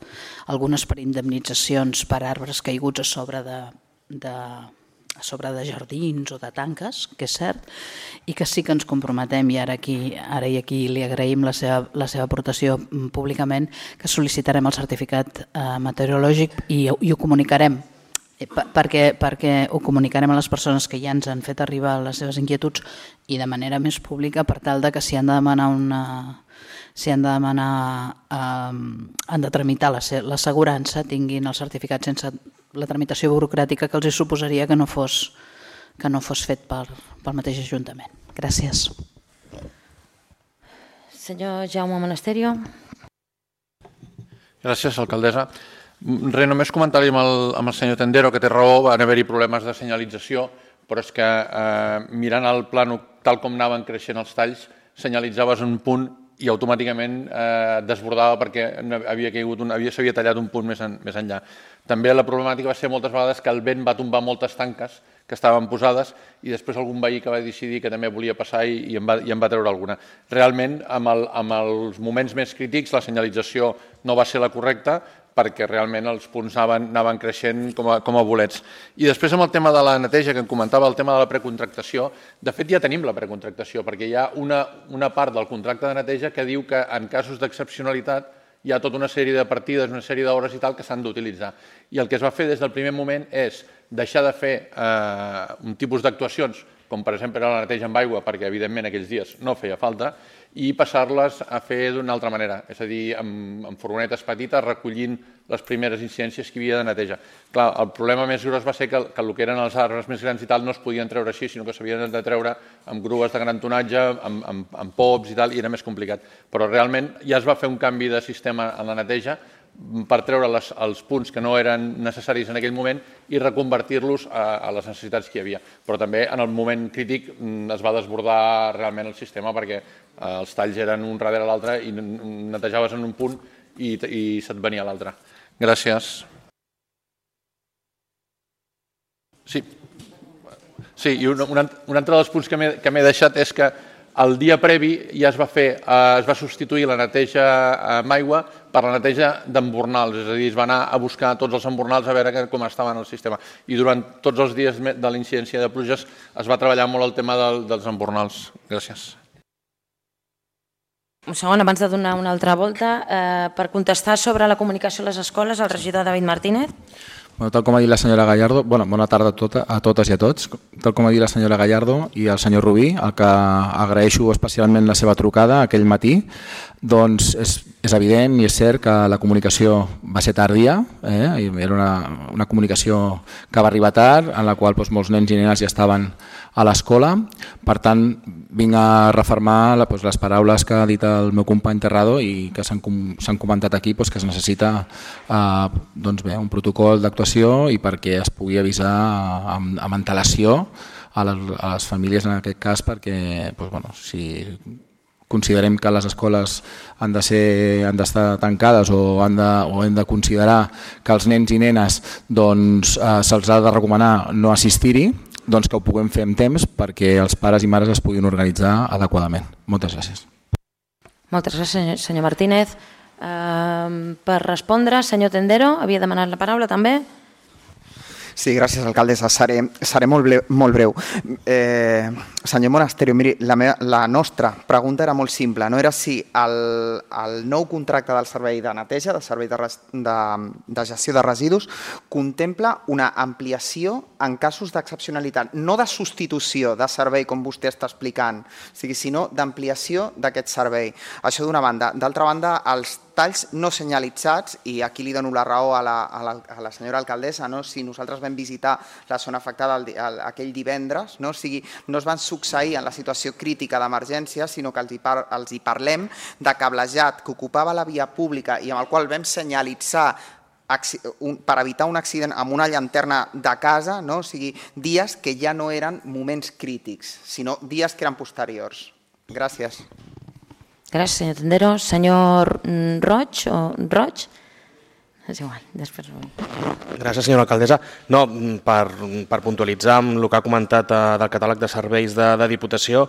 algunes per indemnitzacions per arbres caiguts a sobre de jardins o de tanques, que és cert, i que sí que ens comprometem, i ara i aquí li agraïm la seva aportació públicament, que sol·licitarem el certificat meteorològic i ho comunicarem, perquè ho comunicarem a les persones que ja ens han fet arribar les seves inquietuds i de manera més pública, per tal que si han de tramitar l'assegurança tinguin el certificat sense la tramitació burocràtica que els suposaria que no fos fet pel mateix Ajuntament. Gràcies. Senyor Jaume Monasterio. Gràcies, alcaldessa. Només comentar-li amb el senyor Tendero que té raó, van haver-hi problemes de senyalització, però és que mirant el plànol tal com anaven creixent els talls, senyalitzaves un punt i automàticament desbordava perquè s'havia tallat un punt més enllà. També la problemàtica va ser moltes vegades que el vent va tombar moltes tanques que estaven posades i després algun veí que va decidir que també volia passar i en va treure alguna. Realment, amb els moments més crítics, la senyalització no va ser la correcta, perquè realment els punts anaven creixent com a bolets. I després amb el tema de la neteja, que em comentava, el tema de la precontractació, de fet ja tenim la precontractació, perquè hi ha una part del contracte de neteja que diu que en casos d'excepcionalitat hi ha tota una sèrie de partides, una sèrie d'hores i tal que s'han d'utilitzar. I el que es va fer des del primer moment és deixar de fer un tipus d'actuacions, com per exemple la neteja amb aigua, perquè evidentment aquells dies no feia falta, i passar-les a fer d'una altra manera, és a dir, amb furgonetes petites, recollint les primeres incidències que hi havia de neteja. Clar, el problema més gros va ser que el que eren els arbres més grans i tal no es podien treure així, sinó que s'havien de treure amb grues de gran tonatge, amb pops i tal, i era més complicat. Però realment ja es va fer un canvi de sistema en la neteja per treure els punts que no eren necessaris en aquell moment i reconvertir-los a les necessitats que hi havia. Però també en el moment crític es va desbordar realment el sistema perquè els talls eren un darrere l'altre i netejaves en un punt i se't venia a l'altre. Gràcies. Sí, i un altre dels punts que m'he deixat és que el dia previ ja es va substituir la neteja amb aigua per la neteja d'embornals, és a dir, es va anar a buscar tots els embornals a veure com estava en el sistema. I durant tots els dies de la incidència de pluges es va treballar molt el tema dels embornals. Gràcies. Un segon, abans de donar una altra volta, per contestar sobre la comunicació a les escoles, el regidor David Martínez. Tal com ha dit la senyora Gallardo, bona tarda a totes i a tots. Tal com ha dit la senyora Gallardo i el senyor Rubí, el que agraeixo especialment la seva trucada aquell matí, doncs és evident i és cert que la comunicació va ser tardia, era una comunicació que va arribar tard, en la qual molts nens i nenes ja estaven a l'escola. Per tant, vinc a refermar les paraules que ha dit el meu company Terrado i que s'han comentat aquí, que es necessita un protocol d'actuació i perquè es pugui avisar amb antelació a les famílies en aquest cas, perquè si considerem que les escoles han d'estar tancades o hem de considerar que els nens i nenes se'ls ha de recomanar no assistir-hi, que ho puguem fer amb temps perquè els pares i mares es puguin organitzar adequadament. Moltes gràcies. Moltes gràcies, senyor Martínez. Per respondre, senyor Tendero, havia demanat la paraula també. Sí, gràcies, alcaldessa. Seré molt breu. Senyor Monasterio, miri, la nostra pregunta era molt simple. No era si el nou contracte del servei de neteja, del servei de gestió de residus, contempla una ampliació en casos d'excepcionalitat, no de substitució de servei, com vostè està explicant, sinó d'ampliació d'aquest servei. Això d'una banda. D'altra banda, els talls no senyalitzats, i aquí li dono la raó a la senyora alcaldessa, si nosaltres vam visitar la zona afectada aquell divendres, no es van succeir en la situació crítica d'emergència, sinó que els hi parlem de cablejat que ocupava la via pública i amb el qual vam senyalitzar per evitar un accident amb una llanterna de casa, o sigui, dies que ja no eren moments crítics, sinó dies que eren posteriors. Gràcies. Gràcies, senyor Tendero. Senyor Roig o Roig? És igual, després... Gràcies, senyora alcaldessa. No, per puntualitzar amb el que ha comentat del catàleg de serveis de Diputació,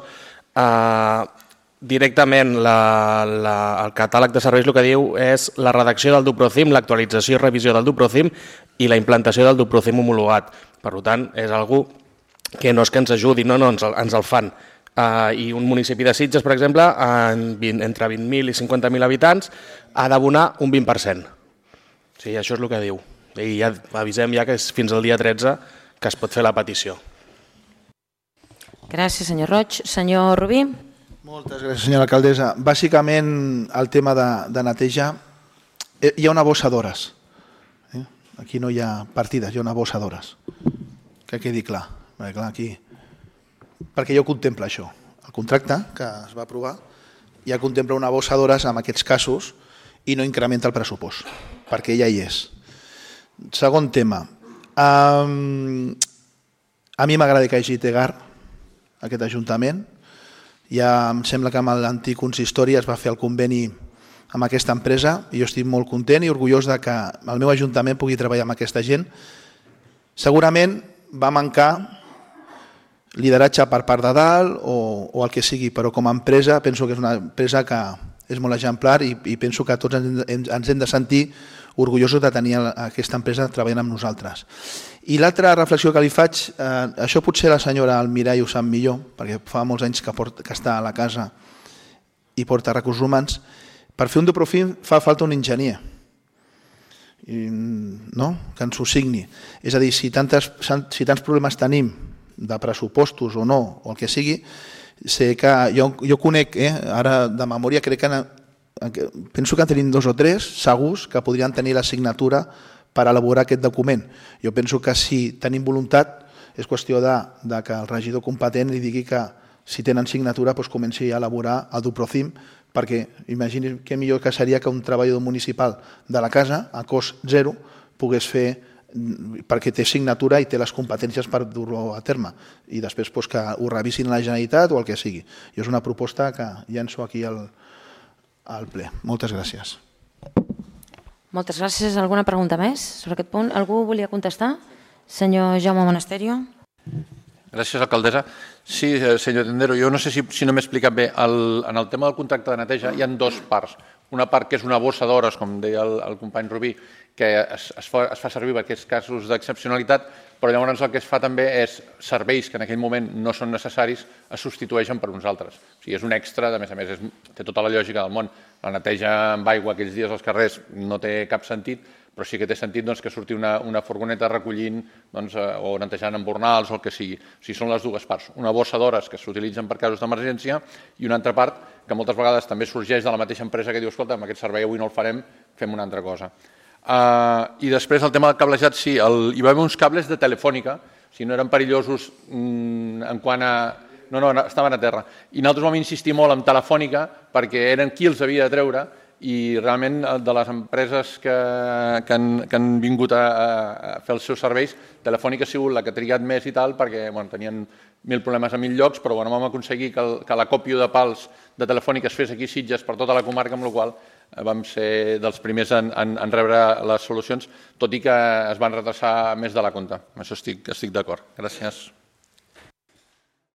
directament el catàleg de serveis el que diu és la redacció del DUPROCIM, l'actualització i revisió del DUPROCIM i la implantació del DUPROCIM homologat. Per tant, és algú que no és que ens ajudi, no, ens el fan. I un municipi de Sitges, per exemple, entre 20.000 i 50.000 habitants, ha d'abonar un 20%. Sí, això és el que diu. I ja avisem ja que és fins al dia 13 que es pot fer la petició. Gràcies, senyor Roig. Senyor Rubí? Moltes gràcies, senyora alcaldessa. Bàsicament, el tema de neteja, hi ha una bossa d'hores. Aquí no hi ha partides, hi ha una bossa d'hores. Que quedi clar. Aquí... perquè ja ho contempla això. El contracte que es va aprovar ja contempla una bossa d'hores en aquests casos i no incrementa el pressupost, perquè ja hi és. Segon tema. A mi m'agrada que hi hagi TEGAR, aquest ajuntament. Ja em sembla que amb l'antic consistori es va fer el conveni amb aquesta empresa i jo estic molt content i orgullós de que el meu ajuntament pugui treballar amb aquesta gent. Segurament va mancar lideratge per part de dalt o el que sigui, però com a empresa penso que és una empresa que és molt exemplar i penso que tots ens hem de sentir orgullosos de tenir aquesta empresa treballant amb nosaltres. I l'altra reflexió que li faig, això potser la senyora Almirall ho sap millor, perquè fa molts anys que està a la casa i porta recursos humans, per fer un DUPROCIM fa falta un enginyer, que ens ho signi. És a dir, si tants problemes tenim de pressupostos o no, o el que sigui, sé que jo conec, ara de memòria crec que penso que en tenim 2 o 3 segurs que podrien tenir la signatura per elaborar aquest document. Jo penso que si tenim voluntat és qüestió de que el regidor competent li digui que si tenen signatura comenci a elaborar el DUPROCIM, perquè imagini que millor que seria que un treballador municipal de la casa a cost zero pogués fer, perquè té signatura i té les competències per dur-ho a terme i després que ho revisin a la Generalitat o el que sigui. I és una proposta que llenço aquí al ple. Moltes gràcies. Moltes gràcies. Alguna pregunta més sobre aquest punt? Algú volia contestar? Senyor Jaume Monasterio. Gràcies, alcaldessa. Sí, senyor Tendero, jo no sé si no m'he explicat bé. En el tema del contracte de neteja hi ha 2 parts. Una part que és una bossa d'hores, com deia el company Rubí, que es fa servir per aquests casos d'excepcionalitat, però llavors el que es fa també és serveis que en aquell moment no són necessaris es substitueixen per uns altres. O sigui, és un extra, a més, té tota la lògica del món. La neteja amb aigua aquells dies als carrers no té cap sentit, però sí que té sentit que surti una furgoneta recollint o netejant embornals o el que sigui. O sigui, són les 2 parts. Una bossa d'hores que s'utilitzen per casos d'emergència i una altra part que moltes vegades també sorgeix de la mateixa empresa que diu, escolta, amb aquest servei avui no el farem, fem una altra cosa. I després el tema del cablejat, sí, hi va haver uns cables de Telefònica, si no eren perillosos en quant a... No, estaven a terra. I nosaltres vam insistir molt en Telefònica perquè eren qui els havia de treure i realment de les empreses que han vingut a fer els seus serveis, Telefònica ha sigut la que ha trigat més i tal perquè tenien 1.000 problemes a 1.000 llocs, però vam aconseguir que l'acòpio de pals de Telefònica es fes aquí a Sitges per tota la comarca, amb la qual vam ser dels primers en rebre les solucions, tot i que es van retrasar més de la compte. Amb això estic d'acord. Gràcies.